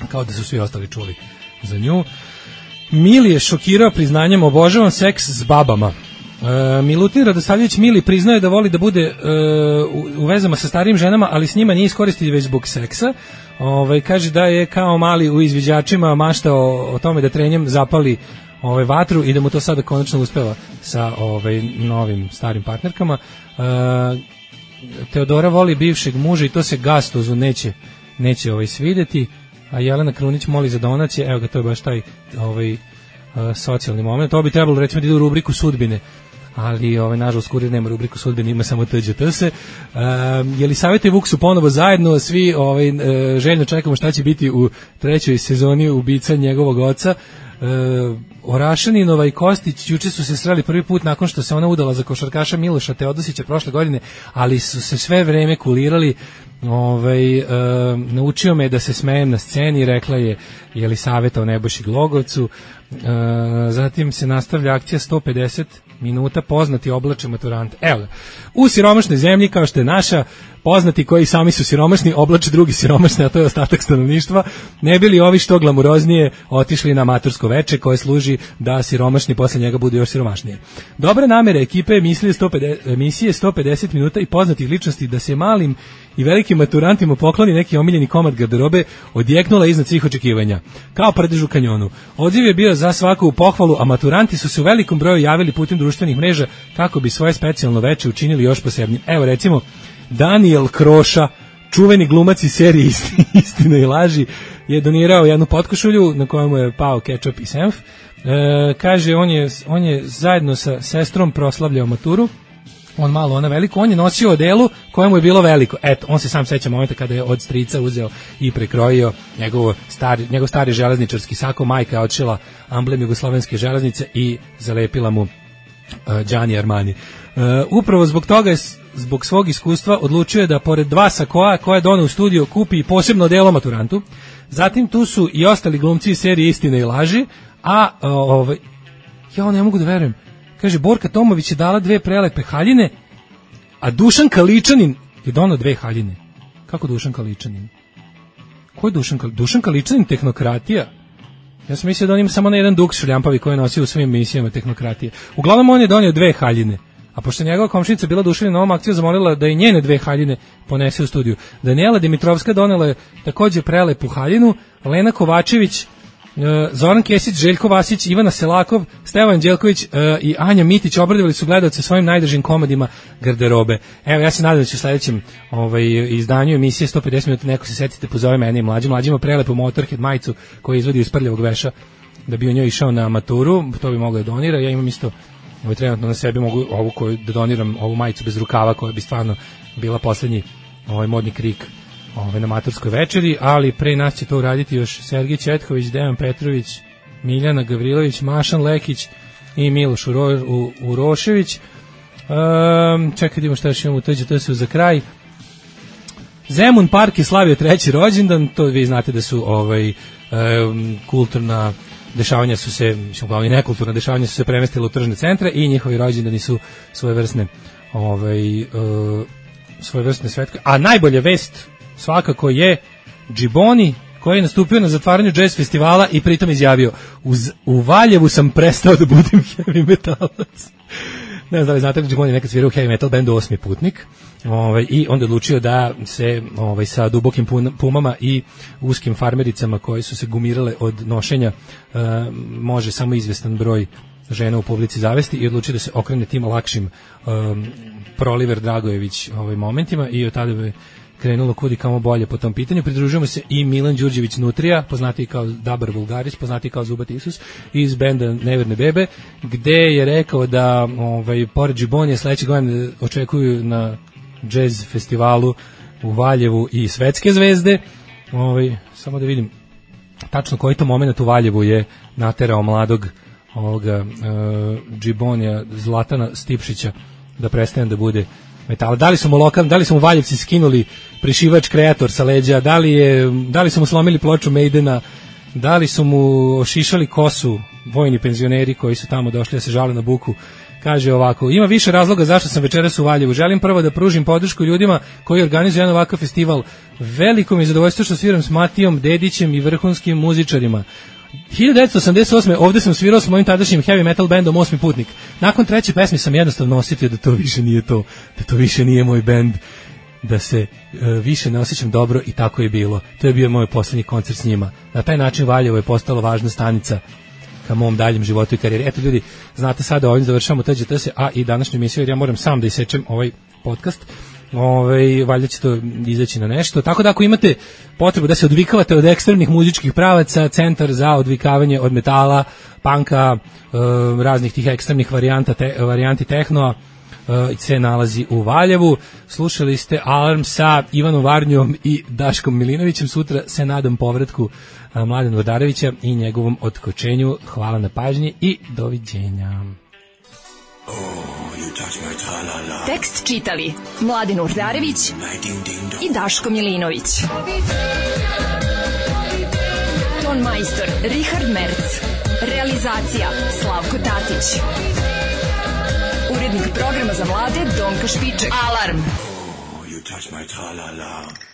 kao da su svi ostali čuli za nju. Mili je šokirao priznanjem, obožavam seks s babama. Milutin Radosavljević Mili priznaje da voli da bude u vezama sa starijim ženama, ali s njima nije iskoristiti već zbog seksa. Kaže da je kao mali u izviđačima maštao o tome da trenjem zapali vatru i da mu to sada konačno uspeva sa novim starim partnerkama. Teodora voli bivšeg muža i to se Gastozu neće svideti. A Jelena Krunić moli za donacije, evo ga, to je baš taj socijalni moment. To bi trebalo recimo da ide u rubriku sudbine, ali nažalost Kurir nema rubriku sudbine, ima samo TGTS. Jelisaveta i Vuk su ponovo zajedno, svi željno čekamo šta će biti u 3. sezoni ubica njegovog oca. Orašaninova i Kostić juče su se sreli prvi put nakon što se ona udala za košarkaša Miloša Teodosića prošle godine, ali su se sve vreme kulirali. Naučio me da se smejem na sceni, rekla je Jelisaveta o Nebojši Glogovcu. Zatim se nastavlja akcija 150 minuta poznati oblače maturante. Evo, u siromašnoj zemlji kao što je naša, poznati koji sami su siromašni oblače drugi siromašni, a to je ostatak stanovništva, ne bili ovi što glamuroznije otišli na matursko veče koje služi da siromašni posle njega budu još siromašnije. Dobre namere ekipe emisije 150 minuta i poznatih ličnosti da se malim i velikim maturantima pokloni neki omiljeni komad garderobe odjeknula iznad svih očekivanja. Kao prdež u kanjonu. Odziv je bio za svaku pohvalu, a maturanti su se u velikom broju javili putem društvenih mreža kako bi svoje specijalno veče učinili još posebnim. Evo recimo Daniel Kroša, čuveni glumac iz serije Istina i laži, je donirao jednu potkošulju na kojemu je pao kečap i senf. Kaže, on je zajedno sa sestrom proslavljao maturu, on malo, ona veliko, on je nosio odelu kojemu je bilo veliko. Eto, on se sam seća momenta kada je od strica uzeo i prekrojio njegov stari železničarski sako, majka je odšila amblem jugoslovenske železnice i zalepila mu Gianni Armani. Upravo zbog toga zbog svog iskustva odlučio je da pored 2 sakoa koje je doneo u studio kupi i posebno odelo maturantu. Zatim tu su i ostali glumci iz serije Istina i laži, a ja ne mogu da verujem. Kaže, Borka Tomović je dala 2 prelepe haljine, a Dušan Kaličanin je donao 2 haljine. Kako Dušan Kaličanin? Ko je Dušan Kaličanin? Dušan Kaličanin, tehnokratija. Ja sam mislio da on ima samo na jedan duks šljampavi koji je nosio u svim emisijama tehnokratije. Uglavnom on je donio 2 haljine. A pošto njegova komšinica bila oduševljena ovom akcijom, zamolila da i njene 2 haljine ponese u studiju. Daniela Dimitrovska donela je takođe prelepu haljinu, Lena Kovačević, Zoran Kesić, Željko Vasić, Ivana Selakov, Stevan Đelković i Anja Mitić obradovali su gledaoce svojim najdržim komadima garderobe. Evo, ja se nadam da će u sledećem izdanju emisije 150 minuta neko se setite, pozove mene i mlađima prelepu Motorhead majicu koju izvodi iz prljavog veša da bi u njoj išao na maturu, to bi moglo da donira. Ja imam isto trenutno na sebi mogu ovu koju da doniram, ovu majicu bez rukava koja bi stvarno bila poslednji modni krik na maturskoj večeri, ali pre nas će to uraditi još Sergij Četković, Dejan Petrović, Miljana Gavrilović, Mašan Lekić i Miloš Urošević. Čekaj, idemo šta još imamo, to se za kraj. Zemun Park je slavio 3. rođendan, to vi znate da su kulturna dešavanja su se, uglavnom i nekulturna dešavanja su se premestile u tržne centre i njihovi rođendani su svojevrsne svetke. A najbolja vest svakako je Džiboni koji je nastupio na zatvaranju jazz festivala i pritom izjavio u Valjevu sam prestao da budem heavy metalac. Ne znam da li znate, Džiboni je nekad svirao u heavy metal bandu Osmi putnik i onda odlučio da se sa dubokim pumama i uskim farmericama koje su se gumirale od nošenja može samo izvestan broj žena u publici zavesti i odlučio da se okrene tim lakšim Proliver Dragojević momentima i od tada bi krenulo kudi kamo bolje po tom pitanju. Pridružujemo se i Milan Đurđević Nutrija, poznatiji kao Dabar Vulgaris, poznatiji kao Zubat Isus, iz benda Neverne bebe, gde je rekao da pored Džibonija sledeće godine očekuju na jazz festivalu u Valjevu i svetske zvezde. Samo da vidim tačno koji to moment u Valjevu je naterao mladog Džibonija Zlatana Stipšića da prestane da bude metala. Da li su mu Valjevci skinuli prišivač kreator sa leđa, da li su mu slomili ploču Maidena, da li su mu ošišali kosu vojni penzioneri koji su tamo došli da se žale na buku. Kaže ovako, ima više razloga zašto sam večeras u Valjevu. Želim prvo da pružim podršku ljudima koji organizuju jedan ovakav festival. Veliko mi je zadovoljstvo što sviram s Matijom Dedićem i vrhunskim muzičarima. 1988. ovde sam svirao s mojim tadašnjim heavy metal bandom Osmi putnik. Nakon 3. pesme sam jednostavno osjetio da to više nije to, da to više nije moj bend, da se više ne osjećam dobro i tako je bilo. To je bio moj poslednji koncert s njima. Na taj način Valjevo je postalo važna stanica ka mom daljem životu i karijeri. Eto ljudi, znate sada ovim završavamo TGTS, a i današnju emisiju jer ja moram sam da isečem ovaj podcast. Valjda će to izaći na nešto, tako da ako imate potrebu da se odvikavate od ekstremnih muzičkih pravaca, centar za odvikavanje od metala, panka, raznih tih ekstremnih varijanti tehnoa se nalazi u Valjevu. Slušali ste Alarm sa Ivanom Varnjom i Daškom Milinovićem. Sutra se nadam povratku Mladena Vodarevića i njegovom otkočenju. Hvala na pažnji i doviđenja. Tekst čitali Mladen Urdarević i Daško Milinović. Ton majstor Richard Merc. Realizacija Slavko Tatić. Urednik programa za mlade Donka Špiček. Alarm. You touch my tra-la-la.